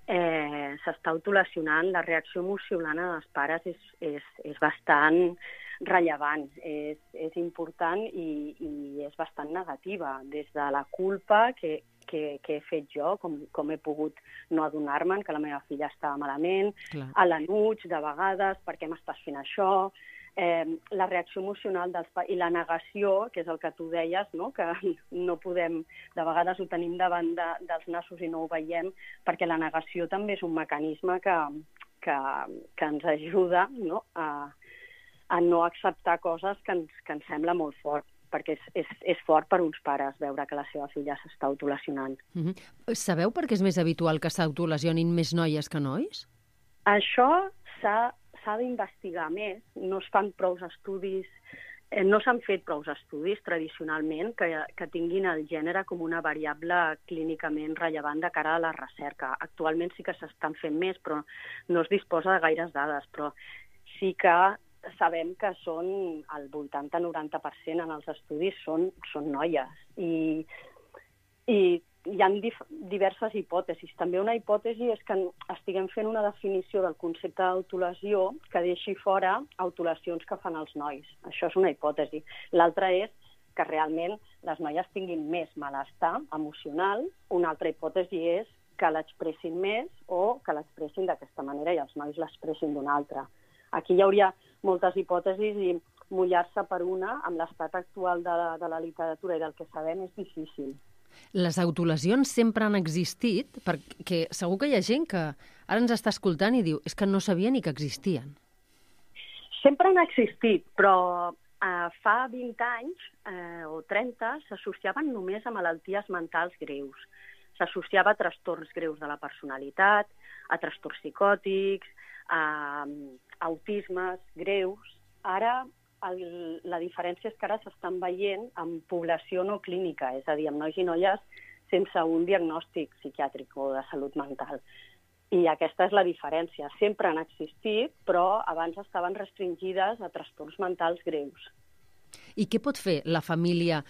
s'està autolesionant, la reacció emocional dels pares és bastant rellevant, és important i és bastant negativa, des de la culpa que he fet jo, com he pogut no adonar-me'n que la meva filla estava malament, a l'enuig de vegades, per què m'estàs fent això, la reacció emocional dels pares i la negació, que és el que tu deies, no? Que no podem, de vegades ho tenim davant dels nassos i no ho veiem, perquè la negació també és un mecanisme que ens ajuda, no? A no acceptar coses que ens sembla molt fort, perquè és fort per uns pares veure que la seva filla s'està autolesionant. Sabeu per què és més habitual que s'autolesionin més noies que nois? Això s'ha d'investigar més, no es fan prou estudis no s'han fet prou estudis tradicionalment que tinguin el gènere com una variable clínicament rellevant de cara a la recerca. Actualment sí que s'estan fent més, però no es disposa de gaires dades, però sí que sabem que són el 80-90% en els estudis són noies. I hi ha diverses hipòtesis. També una hipòtesi és que estiguem fent una definició del concepte d'autolesió que deixi fora autolesions que fan els nois. Això és una hipòtesi. L'altra és que realment les noies tinguin més malestar emocional. Una altra hipòtesi és que l'expressin més o que l'expressin d'aquesta manera i els nois l'expressin d'una altra. Aquí hi hauria moltes hipòtesis i mullar-se per una amb l'estat actual de la literatura i del que sabem és difícil. Les autolesions sempre han existit, perquè segur que hi ha gent que ara ens està escoltant i diu és que no sabia ni que existien. Sempre han existit, però fa 20 anys o 30 s'associaven només a malalties mentals greus. S'associava a trastorns greus de la personalitat, a trastorns psicòtics, a autismes greus. Ara la diferència és que ara s'estan veient amb població no clínica, és a dir, amb nois i noies sense un diagnòstic psiquiàtric o de salut mental. I aquesta és la diferència. Sempre han existit, però abans estaven restringides a trastorns mentals greus. I què pot fer la família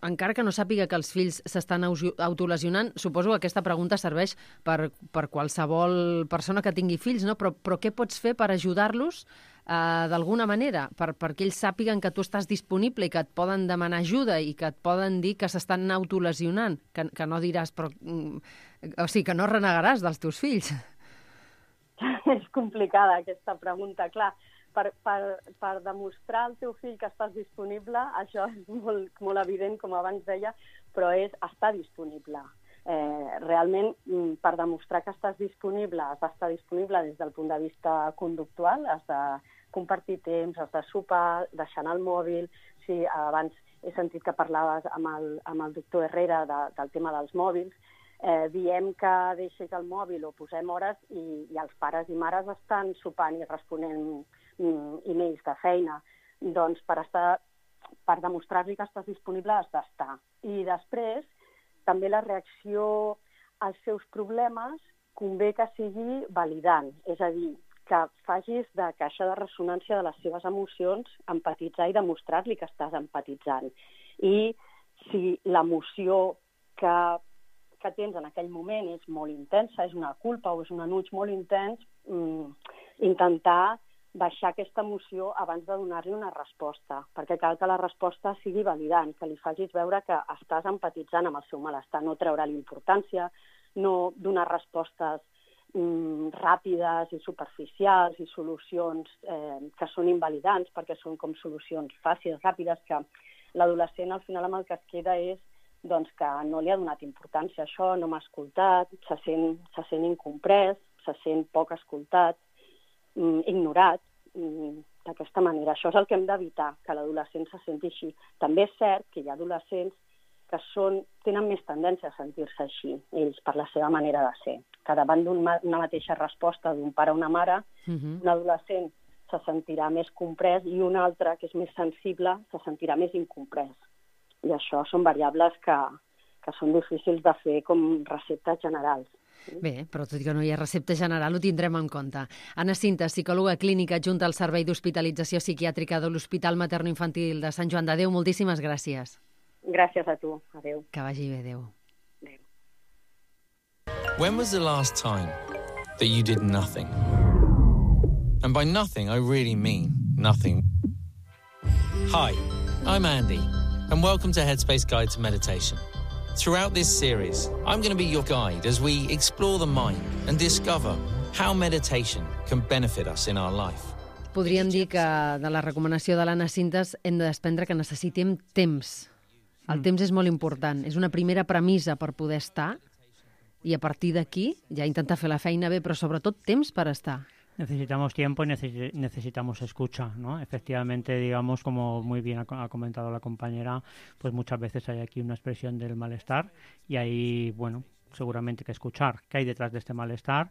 encara que no sàpiga que els fills s'estan autolesionant? Suposo que aquesta pregunta serveix per qualsevol persona que tingui fills, no? Però què pots fer per ajudar-los d'alguna manera, perquè ells sàpiguen que tu estàs disponible i que et poden demanar ajuda i que et poden dir que s'estan autolesionant, que no diràs, o sigui, que no renegaràs dels teus fills? És complicada aquesta pregunta, clar. Per demostrar al teu fill que estàs disponible, això és molt evident, com abans deia, però és estar disponible. Realment, per demostrar que estàs disponible, has d'estar disponible des del punt de vista conductual, has de compartir temps, has de sopar, deixar el mòbil. Sí, abans he sentit que parlaves amb el doctor Herrera del tema dels mòbils. Diem que deixis el mòbil o posem hores i els pares i mares estan sopant i responent e-mails de feina. Doncs per demostrar-li que estàs disponible has d'estar. I després, també la reacció als seus problemes convé que sigui validant, és a dir, que facis de caixa de ressonància de les seves emocions, empatitzar i demostrar-li que estàs empatitzant. I si l'emoció que tens en aquell moment és molt intensa, és una culpa o és un enuig molt intens, intentar baixar aquesta emoció abans de donar-li una resposta, perquè cal que la resposta sigui validant, que li facis veure que estàs empatitzant amb el seu malestar, no treure-li importància, no donar respostes ràpides i superficials i solucions que són invalidants, perquè són com solucions fàcils, ràpides, que l'adolescent al final amb el que es queda és que no li ha donat importància a això, no m'ha escoltat, se sent incomprès, se sent poc escoltat, ignorat, d'aquesta manera. Això és el que hem d'evitar, que l'adolescent se senti així. També és cert que hi ha adolescents que tenen més tendència a sentir-se així, ells, per la seva manera de ser. Que davant d'una mateixa resposta d'un pare o una mare, un adolescent se sentirà més comprès i un altre, que és més sensible, se sentirà més incomprès. I això són variables que són difícils de fer com receptes generals. Bé, però tot i que no hi ha recepta general, ho tindrem en compte. Anna Cintas, psicòloga clínica adjunta al Servei d'Hospitalització Psiquiàtrica de l'Hospital Materno-Infantil de Sant Joan de Déu. Moltíssimes gràcies. Gràcies a tu. Adéu. Que vagi bé, adéu. When was the last time that you did nothing? And by nothing, I really mean nothing. Hi, I'm Andy, and welcome to Headspace Guide to Meditation. Throughout this series, I'm going to be your guide as we explore the mind and discover how meditation can benefit us in our life. Podríem dir que de la recomanació de l'Anna Cintas hem de desprendre que necessitem temps. El temps és molt important. És una primera premissa per poder estar i a partir d'aquí ja intentar fer la feina bé, però sobretot temps per estar. Necesitamos tiempo y necesitamos escucha, ¿no? Efectivamente, digamos, como muy bien ha comentado la compañera, pues muchas veces hay aquí una expresión del malestar y hay, bueno, seguramente que escuchar qué hay detrás de este malestar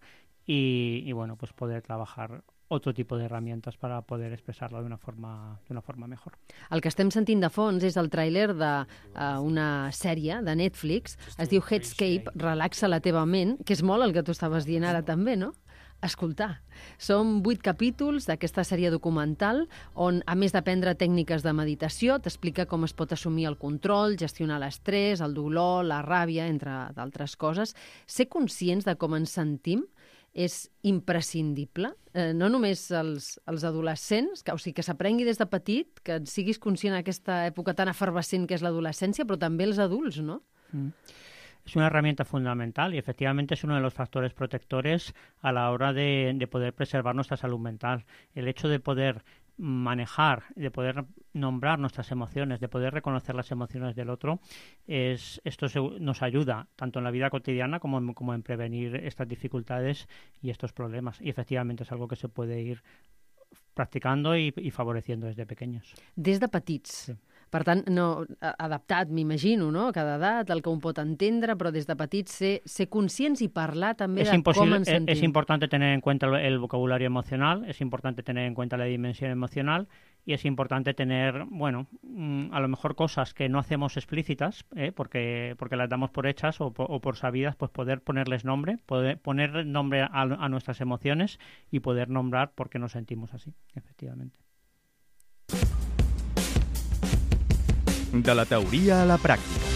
y bueno, pues poder trabajar otro tipo de herramientas para poder expresarlo de una forma mejor. El que estem sentint de fons és el tràiler d'una sèrie de Netflix, es diu Headscape, relaxa la teva ment, que és molt el que tu estaves dient ara també, no? Escoltar. Són 8 capítols d'aquesta sèrie documental on, a més d'aprendre tècniques de meditació, t'explica com es pot assumir el control, gestionar l'estrès, el dolor, la ràbia, entre d'altres coses. Ser conscients de com ens sentim és imprescindible, no només els adolescents, o sigui, que s'aprengui des de petit, que siguis conscient d'aquesta època tan efervescent que és l'adolescència, però també els adults, ¿no? Es una herramienta fundamental y efectivamente es uno de los factores protectores a la hora de poder preservar nuestra salud mental. El hecho de poder manejar, de poder nombrar nuestras emociones, de poder reconocer las emociones del otro, esto nos ayuda tanto en la vida cotidiana como en prevenir estas dificultades y estos problemas. Y efectivamente es algo que se puede ir practicando y favoreciendo desde pequeños. Des de petits. Sí. Per tant, no, adaptat, m'imagino, no? A cada edat, el que un pot entendre, però des de petits ser conscients i parlar també de com ens sentim. Es importante tener en cuenta el vocabulario emocional, es importante tener en cuenta la dimensión emocional y es importante tener, bueno, a lo mejor cosas que no hacemos explícitas, porque las damos por hechas o por sabidas, pues poder ponerles nombre, poder poner nombre a nuestras emociones y poder nombrar por qué nos sentimos así, efectivamente. De la teoria a la pràctica.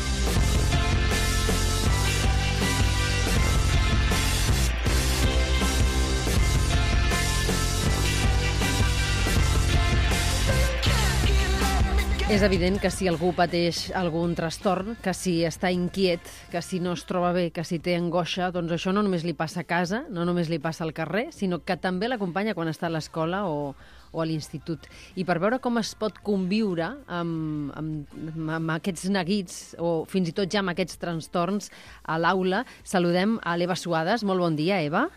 És evident que si algú pateix algun trastorn, que si està inquiet, que si no es troba bé, que si té angoixa, doncs això no només li passa a casa, no només li passa al carrer, sinó que també l'acompanya quan està a l'escola o a l'institut. I per veure com es pot conviure amb aquests neguits o fins i tot ja amb aquests trastorns a l'aula, saludem a l'Eva Suades. Molt bon dia, Eva.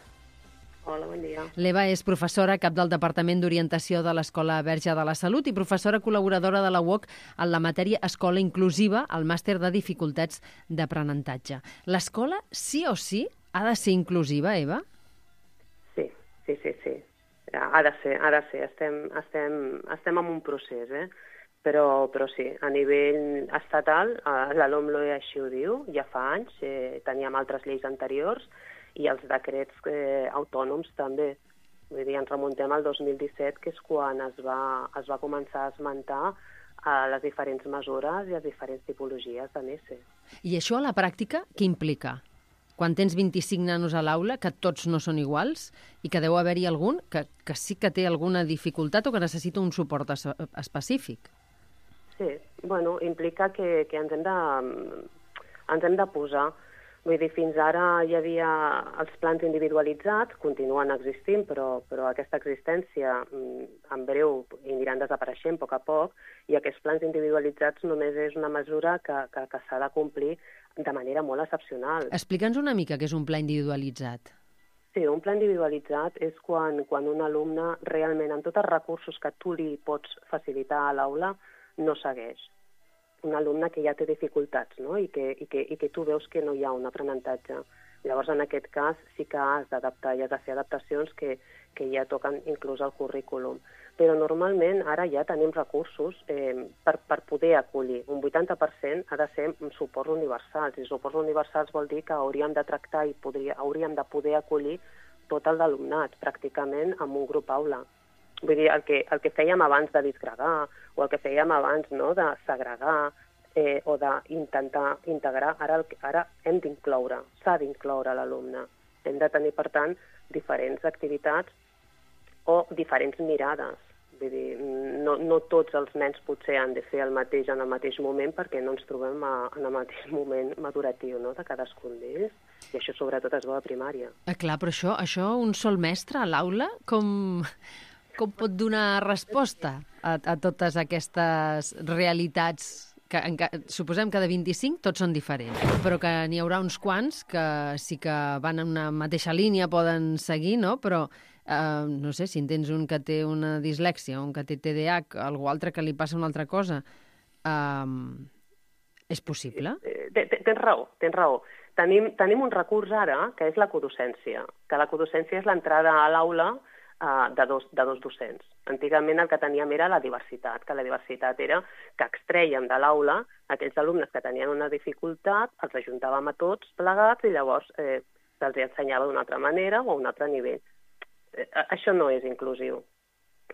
Hola, bon dia. L'Eva és professora cap del Departament d'Orientació de l'Escola Verge de la Salut i professora col·laboradora de la UOC en la matèria Escola Inclusiva al màster de dificultats d'aprenentatge. L'escola sí o sí ha de ser inclusiva, Eva? Sí. Ha de ser. Estem en un procés, però sí, a nivell estatal, la LOMLOE així ho diu, ja fa anys, teníem altres lleis anteriors, i els decrets autònoms també. Vull dir, ens remuntem al 2017, que és quan es va començar a esmentar les diferents mesures i les diferents tipologies de NESE. I això a la pràctica què implica? Quan tens 25 nanos a l'aula, que tots no són iguals i que deu haver-hi algun que sí que té alguna dificultat o que necessita un suport específic. Sí, bueno, implica que ens hem de posar. Vull dir, fins ara hi havia els plans individualitzats, continuen existint, però aquesta existència en breu aniran desapareixent a poc a poc, i aquests plans individualitzats només és una mesura que s'ha de complir de manera molt excepcional. Explica'ns una mica què és un pla individualitzat. Sí, un pla individualitzat és quan un alumne realment, amb tots els recursos que tu li pots facilitar a l'aula, no segueix. Un alumne que ja té dificultats, no? I que tu veus que no hi ha un aprenentatge. Llavors, en aquest cas, sí que has d'adaptar i has de fer adaptacions que ja toquen inclús al currículum. Però normalment ara ja tenim recursos per poder acollir. Un 80% ha de ser suports universals. I suports universals vol dir que hauríem de tractar i hauríem de poder acollir tot el d'alumnat, pràcticament amb un grup aula. Vull dir, el que fèiem abans de disgregar o el que fèiem abans de segregar o d'intentar integrar, ara hem d'incloure, s'ha d'incloure l'alumne. Hem de tenir, per tant, diferents activitats o diferents mirades. Vull dir, no tots els nens potser han de fer el mateix en el mateix moment perquè no ens trobem en el mateix moment maduratiu de cadascun d'ells. I això sobretot es veu a primària. Clar, però això un sol mestre a l'aula, com pot donar resposta a totes aquestes realitats que suposem que de 25 tots són diferents, però que n'hi haurà uns quants que sí que van en una mateixa línia, poden seguir, no? Però no sé, si en tens un que té una dislèxia, un que té TDAH, algú altre que li passa una altra cosa, és possible? Tens raó. Tenim un recurs ara, que és la codocència, que la codocència és l'entrada a l'aula de dos docents. Antigament el que teníem era la diversitat, que la diversitat era que extrèiem de l'aula aquells alumnes que tenien una dificultat, els ajuntàvem a tots plegats i llavors se'ls ensenyava d'una altra manera o a un altre nivell. Això no és inclusiu,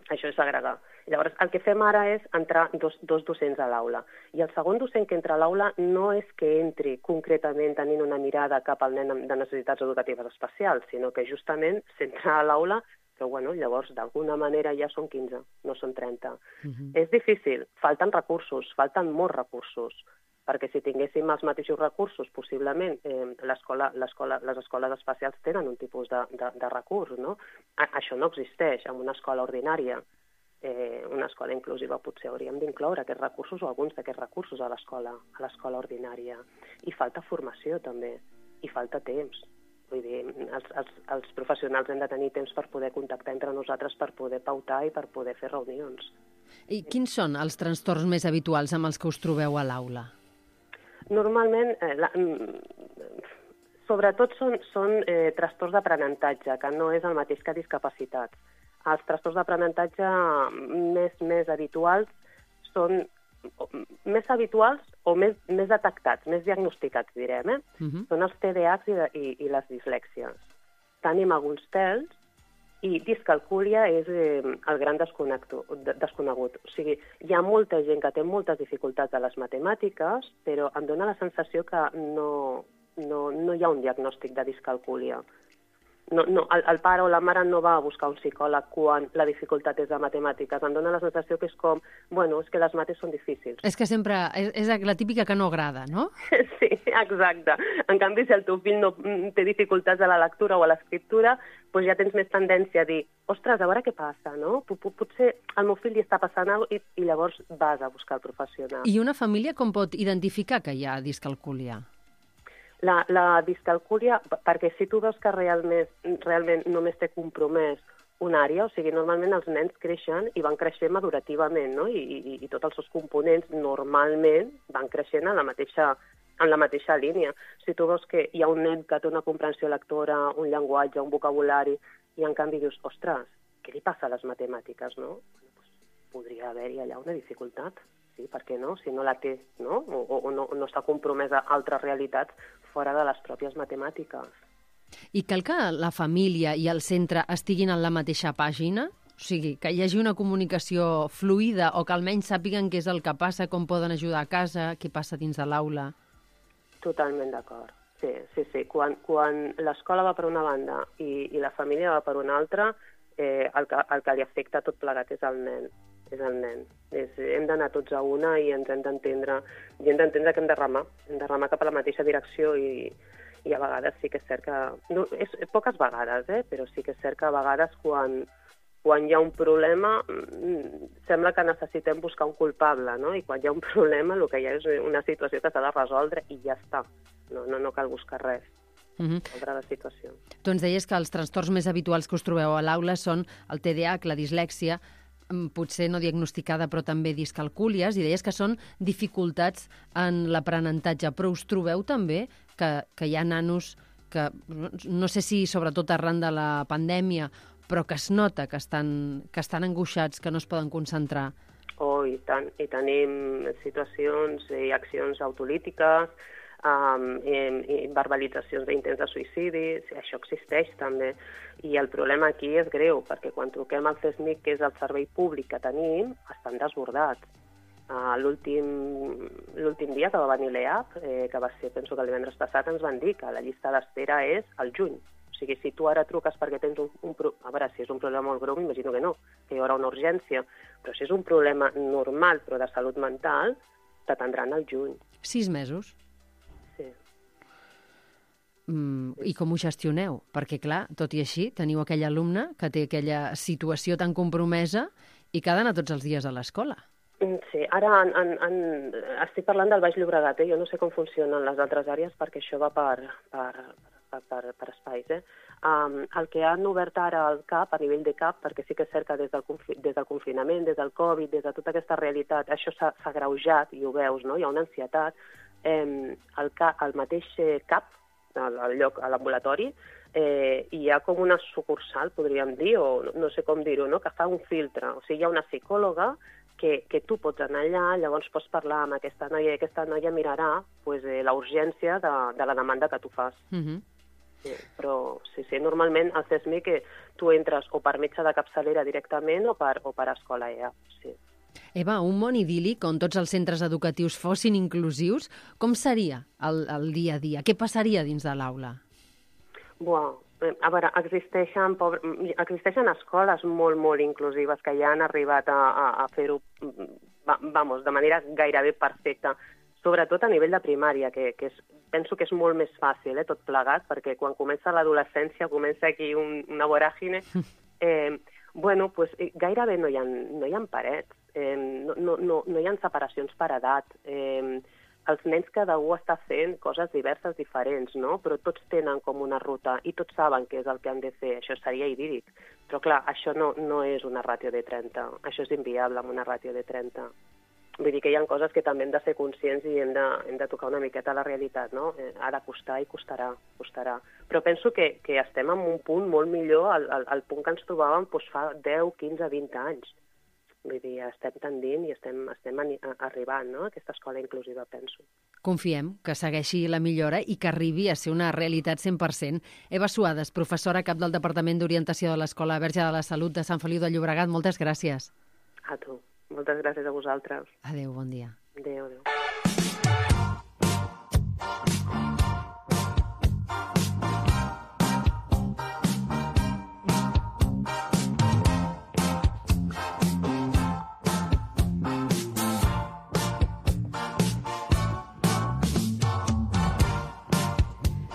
això és segregar. Llavors, el que fem ara és entrar dos docents a l'aula. I el segon docent que entra a l'aula no és que entri concretament tenint una mirada cap al nen de necessitats educatives especials, sinó que justament s'entra a l'aula, però llavors d'alguna manera ja són 15, no són 30. És difícil, falten recursos, falten molts recursos, perquè si tinguéssim els mateixos recursos, possiblement les escoles especials tenen un tipus de recurs, no? Això no existeix en una escola ordinària. Una escola inclusiva potser hauríem d'incloure aquests recursos o alguns d'aquests recursos a l'escola ordinària. I falta formació també, i falta temps. Vull dir, els professionals hem de tenir temps per poder contactar entre nosaltres, per poder pautar i per poder fer reunions. I quins són els trastorns més habituals amb els que us trobeu a l'aula? Normalment, sobretot són trastorns d'aprenentatge, que no és el mateix que discapacitats. Els trastorns d'aprenentatge més habituals són més habituals o més detectats, més diagnosticats, direm. Són els TDAHs i les dislèxies. Tenim alguns TELs i discalcúlia és el gran desconegut. O sigui, hi ha molta gent que té moltes dificultats a les matemàtiques, però em dóna la sensació que no hi ha un diagnòstic de discalcúlia. El pare o la mare no va a buscar un psicòleg quan la dificultat és de matemàtiques. Em dóna la sensació que és com, és que les mates són difícils. És que sempre és la típica que no agrada, no? Sí, exacte. En canvi, si el teu fill no té dificultats a la lectura o a l'escriptura, doncs ja tens més tendència a dir, ostres, a veure què passa, no? Potser al meu fill li està passant alguna cosa i llavors vas a buscar el professional. I una família com pot identificar que hi ha discalcúlia? La discalcúlia, perquè si tu veus que realment només té compromès una àrea, o sigui, normalment els nens creixen i van creixent madurativament, no? I tots els seus components normalment van creixent en la mateixa línia. Si tu veus que hi ha un nen que té una comprensió lectora, un llenguatge, un vocabulari, i en canvi dius, ostres, què li passa a les matemàtiques, no? Podria haver-hi allà una dificultat. Sí, per què no? Si no la té, no? O no està compromesa a altres realitats fora de les pròpies matemàtiques. I cal que la família i el centre estiguin en la mateixa pàgina? O sigui, que hi hagi una comunicació fluida o que almenys sàpiguen què és el que passa, com poden ajudar a casa, què passa dins de l'aula? Totalment d'acord. Sí. Quan l'escola va per una banda i la família va per una altra, el que li afecta tot plegat és el nen. Hem d'anar tots a una i ens hem d'entendre que hem de remar cap a la mateixa direcció i a vegades sí que és cert que... poques vegades, però sí que és cert que a vegades quan hi ha un problema sembla que necessitem buscar un culpable, no? I quan hi ha un problema el que hi ha és una situació que s'ha de resoldre i ja està. No cal buscar res. Sobre la situació. Tu ens deies que els trastorns més habituals que us trobeu a l'aula són el TDAH, la dislèxia, potser no diagnosticada però també discalcúlies, i deies que són dificultats en l'aprenentatge, però us trobeu també que hi ha nanos que, no sé si sobretot arran de la pandèmia, però que es nota que estan angoixats, que no es poden concentrar? I tant, i tenim situacions i accions autolítiques, i verbalitzacions d'intents de suïcidi, això existeix també. I el problema aquí és greu, perquè quan truquem al CESMIC, que és el servei públic que tenim, estan desbordats. L'últim dia que va venir l'EAP, que va ser, penso que el divendres passat, ens van dir que la llista d'espera és al juny. O sigui, si tu ara truques perquè tens a veure, si és un problema molt greu, m'imagino que no, que hi haurà una urgència, però si és un problema normal, però de salut mental, t'atendran al juny. 6 mesos? Sí. I com ho gestioneu? Perquè, clar, tot i així, teniu aquell alumne que té aquella situació tan compromesa i que ha d'anar tots els dies a l'escola. Sí, ara estic parlant del Baix Llobregat, jo no sé com funcionen les altres àrees perquè això va per espais. El que han obert ara al CAP, a nivell de CAP, perquè sí que és cert que des del confinament, des del Covid, des de tota aquesta realitat, això s'ha agreujat, i ho veus, no? Hi ha una ansietat. El mateix CAP, al lloc, a l'ambulatori, hi ha com una sucursal, podríem dir, o no sé com dir-ho, no? Que fa un filtre. O sigui, hi ha una psicòloga que tu pots anar allà, llavors pots parlar amb aquesta noia i aquesta noia mirarà la urgència de la demanda que tu fas. Sí, però sí, normalment al CESMIC tu entres o per metge de capçalera directament o per escola EA, sí. Eva, un món idíl·lic on tots els centres educatius fossin inclusius, com seria el dia a dia? Què passaria dins de l'aula? A veure, existeixen escoles molt, molt inclusives que ja han arribat a fer-ho, de manera gairebé perfecta, sobretot a nivell de primària, que penso que és molt més fàcil, tot plegat, perquè quan comença l'adolescència comença aquí una voràgine. Gairebé no hi ha parets, no hi ha separacions per edat. Els nens cada un està fent coses diverses, diferents, no? Però tots tenen com una ruta i tots saben què és el que han de fer. Això seria idíl·lic. Però clar, això no és una ràtio de 30. Això és inviable amb una ràtio de 30. Vull dir que hi ha coses que també hem de ser conscients i hem de tocar una miqueta la realitat, no? Ha de costar i costarà. Però penso que estem en un punt molt millor al punt que ens trobàvem fa 10, 15, 20 anys. Vull dir, estem tendint i estem arribant, no?, a aquesta escola inclusiva, penso. Confiem que segueixi la millora i que arribi a ser una realitat 100%. Eva Suades, professora cap del Departament d'Orientació de l'Escola Verge de la Salut de Sant Feliu de Llobregat, moltes gràcies. A tu. Moltes gràcies a vosaltres. Adéu, bon dia. Adéu.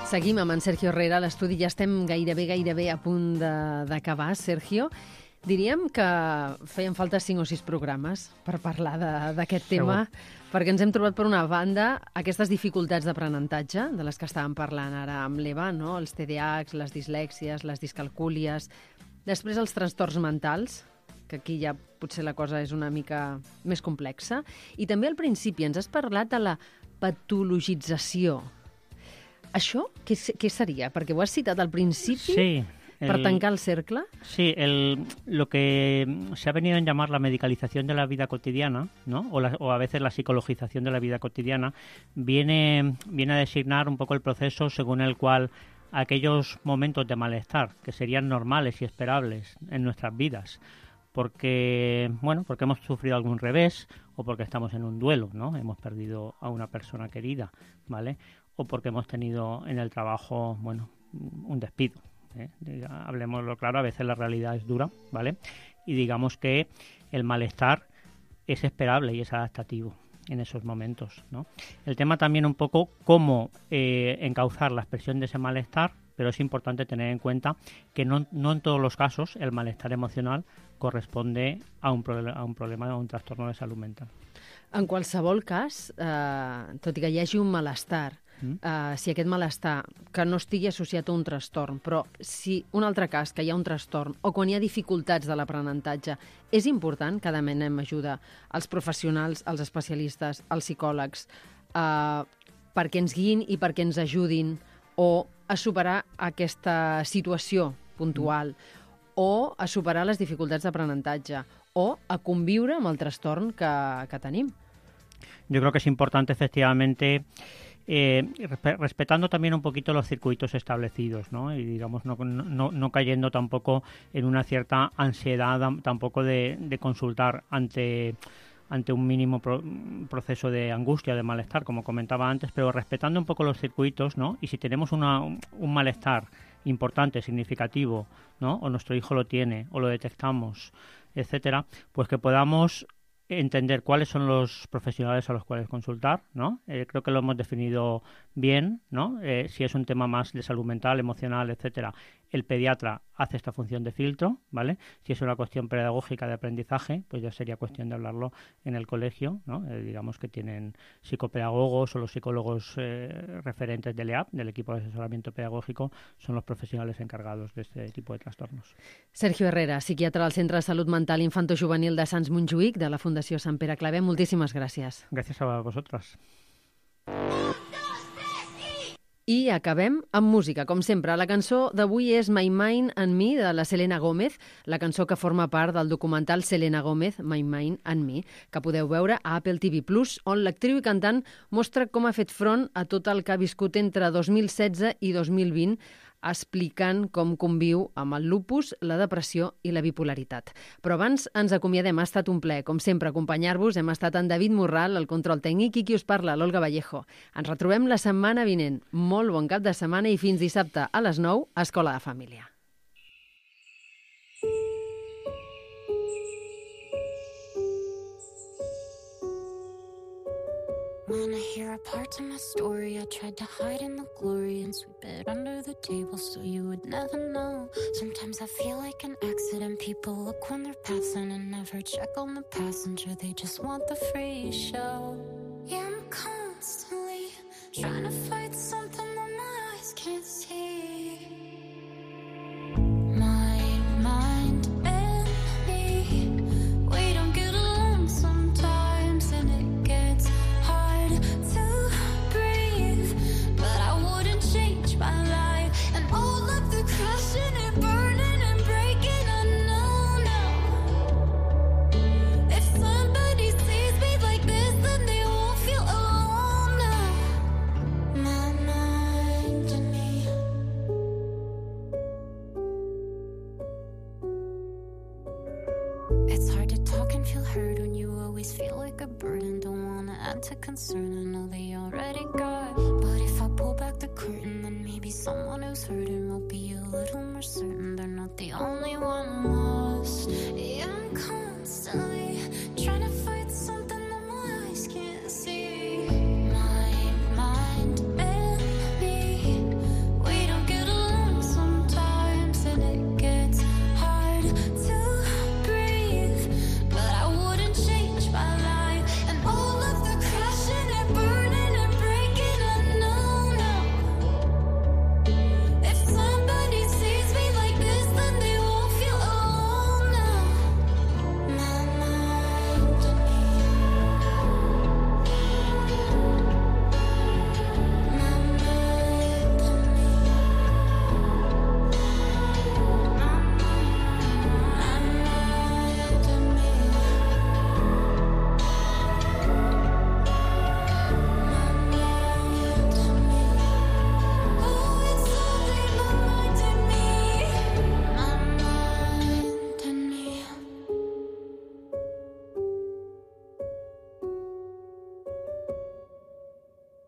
Seguim amb en Sergio Herrera a l'estudi. Ja estem gairebé a punt d'acabar, Sergio. Diríem que feien falta 5 o 6 programes per parlar d'aquest tema, perquè ens hem trobat, per una banda, aquestes dificultats d'aprenentatge, de les que estàvem parlant ara amb l'Eva, no? Els TDAHs, les dislèxies, les discalcúlies, després els trastorns mentals, que aquí ja potser la cosa és una mica més complexa, i també al principi ens has parlat de la patologització. Això què sería? Perquè ho has citat al principi, sí, para tancar el cercle. Sí, lo que se ha venido a llamar la medicalización de la vida cotidiana, ¿no? O a veces la psicologización de la vida cotidiana, viene a designar un poco el proceso según el cual aquellos momentos de malestar que serían normales y esperables en nuestras vidas, porque hemos sufrido algún revés o porque estamos en un duelo, ¿no? Hemos perdido a una persona querida, ¿vale? O porque hemos tenido en el trabajo, un despido. Hablemoslo claro, a veces la realidad es dura, ¿vale? Y digamos que el malestar es esperable y es adaptativo en esos momentos, ¿no? El tema también un poco cómo encauzar la expresión de ese malestar, pero es importante tener en cuenta que no en todos los casos el malestar emocional corresponde a un problema o un trastorno de salud mental. En qualsevol cas, tot i que hi hagi un malestar, si aquest malestar que no estigui associat a un trastorn, però si un altre cas que hi ha un trastorn o quan hi ha dificultats de l'aprenentatge, és important que demanem ajuda als professionals, als especialistes, als psicòlegs, perquè ens guiïn i perquè ens ajudin o a superar aquesta situació puntual o a superar les dificultats d'aprenentatge o a conviure amb el trastorn que tenim. Yo creo que es importante, efectivamente, respetando también un poquito los circuitos establecidos, ¿no? Y digamos no cayendo tampoco en una cierta ansiedad tampoco de consultar ante un mínimo proceso de angustia, de malestar, como comentaba antes, pero respetando un poco los circuitos, ¿no? Y si tenemos un malestar importante, significativo, ¿no? O nuestro hijo lo tiene, o lo detectamos, etcétera, pues que podamos entender cuáles son los profesionales a los cuales consultar, ¿no? Creo que lo hemos definido bien, ¿no? Si es un tema más de salud mental, emocional, etcétera, el pediatra hace esta función de filtro, ¿vale? Si es una cuestión pedagógica de aprendizaje, pues ya sería cuestión de hablarlo en el colegio, ¿no? Digamos que tienen psicopedagogos o los psicólogos referentes del EAP, del equipo de asesoramiento pedagógico, son los profesionales encargados de este tipo de trastornos. Sergio Herrera, psiquiatra del Centre de Salut Mental Infantojuvenil de Sants Montjuïc, de la Fundació Sant Pere Claver. Moltíssimes gràcies. Gràcies a vosaltres. I acabem amb música, com sempre. La cançó d'avui és My Mind and Me, de la Selena Gómez, la cançó que forma part del documental Selena Gómez, My Mind and Me, que podeu veure a Apple TV+, on l'actriu i cantant mostra com ha fet front a tot el que ha viscut entre 2016 i 2020, explicant com conviu amb el lupus, la depressió i la bipolaritat. Però abans ens acomiadem, ha estat un plaer, com sempre, acompanyar-vos. Hem estat en David Morral, el control tècnic, i qui us parla, l'Olga Vallejo. Ens retrobem la setmana vinent. Molt bon cap de setmana i fins dissabte a les 9 a Escola de Família. When I hear a part of my story, I tried to hide in the glory and sweep it under the table so you would never know. Sometimes I feel like an accident. People look when they're passing and never check on the passenger. They just want the free show. Yeah, I'm constantly trying to fight something that my eyes can't see. My mind and me, we don't get along sometimes, and it gets to breathe, but I wouldn't change my life. And all of the crushing and burning and breaking, I know now. If somebody sees me like this, then they won't feel alone now. My mind and me. It's hard to talk and feel heard when you always feel like a burden. Don't wanna add to concern, I know they already got. But if I pull back the curtain, then maybe someone who's hurting will be a little more certain they're not the only one.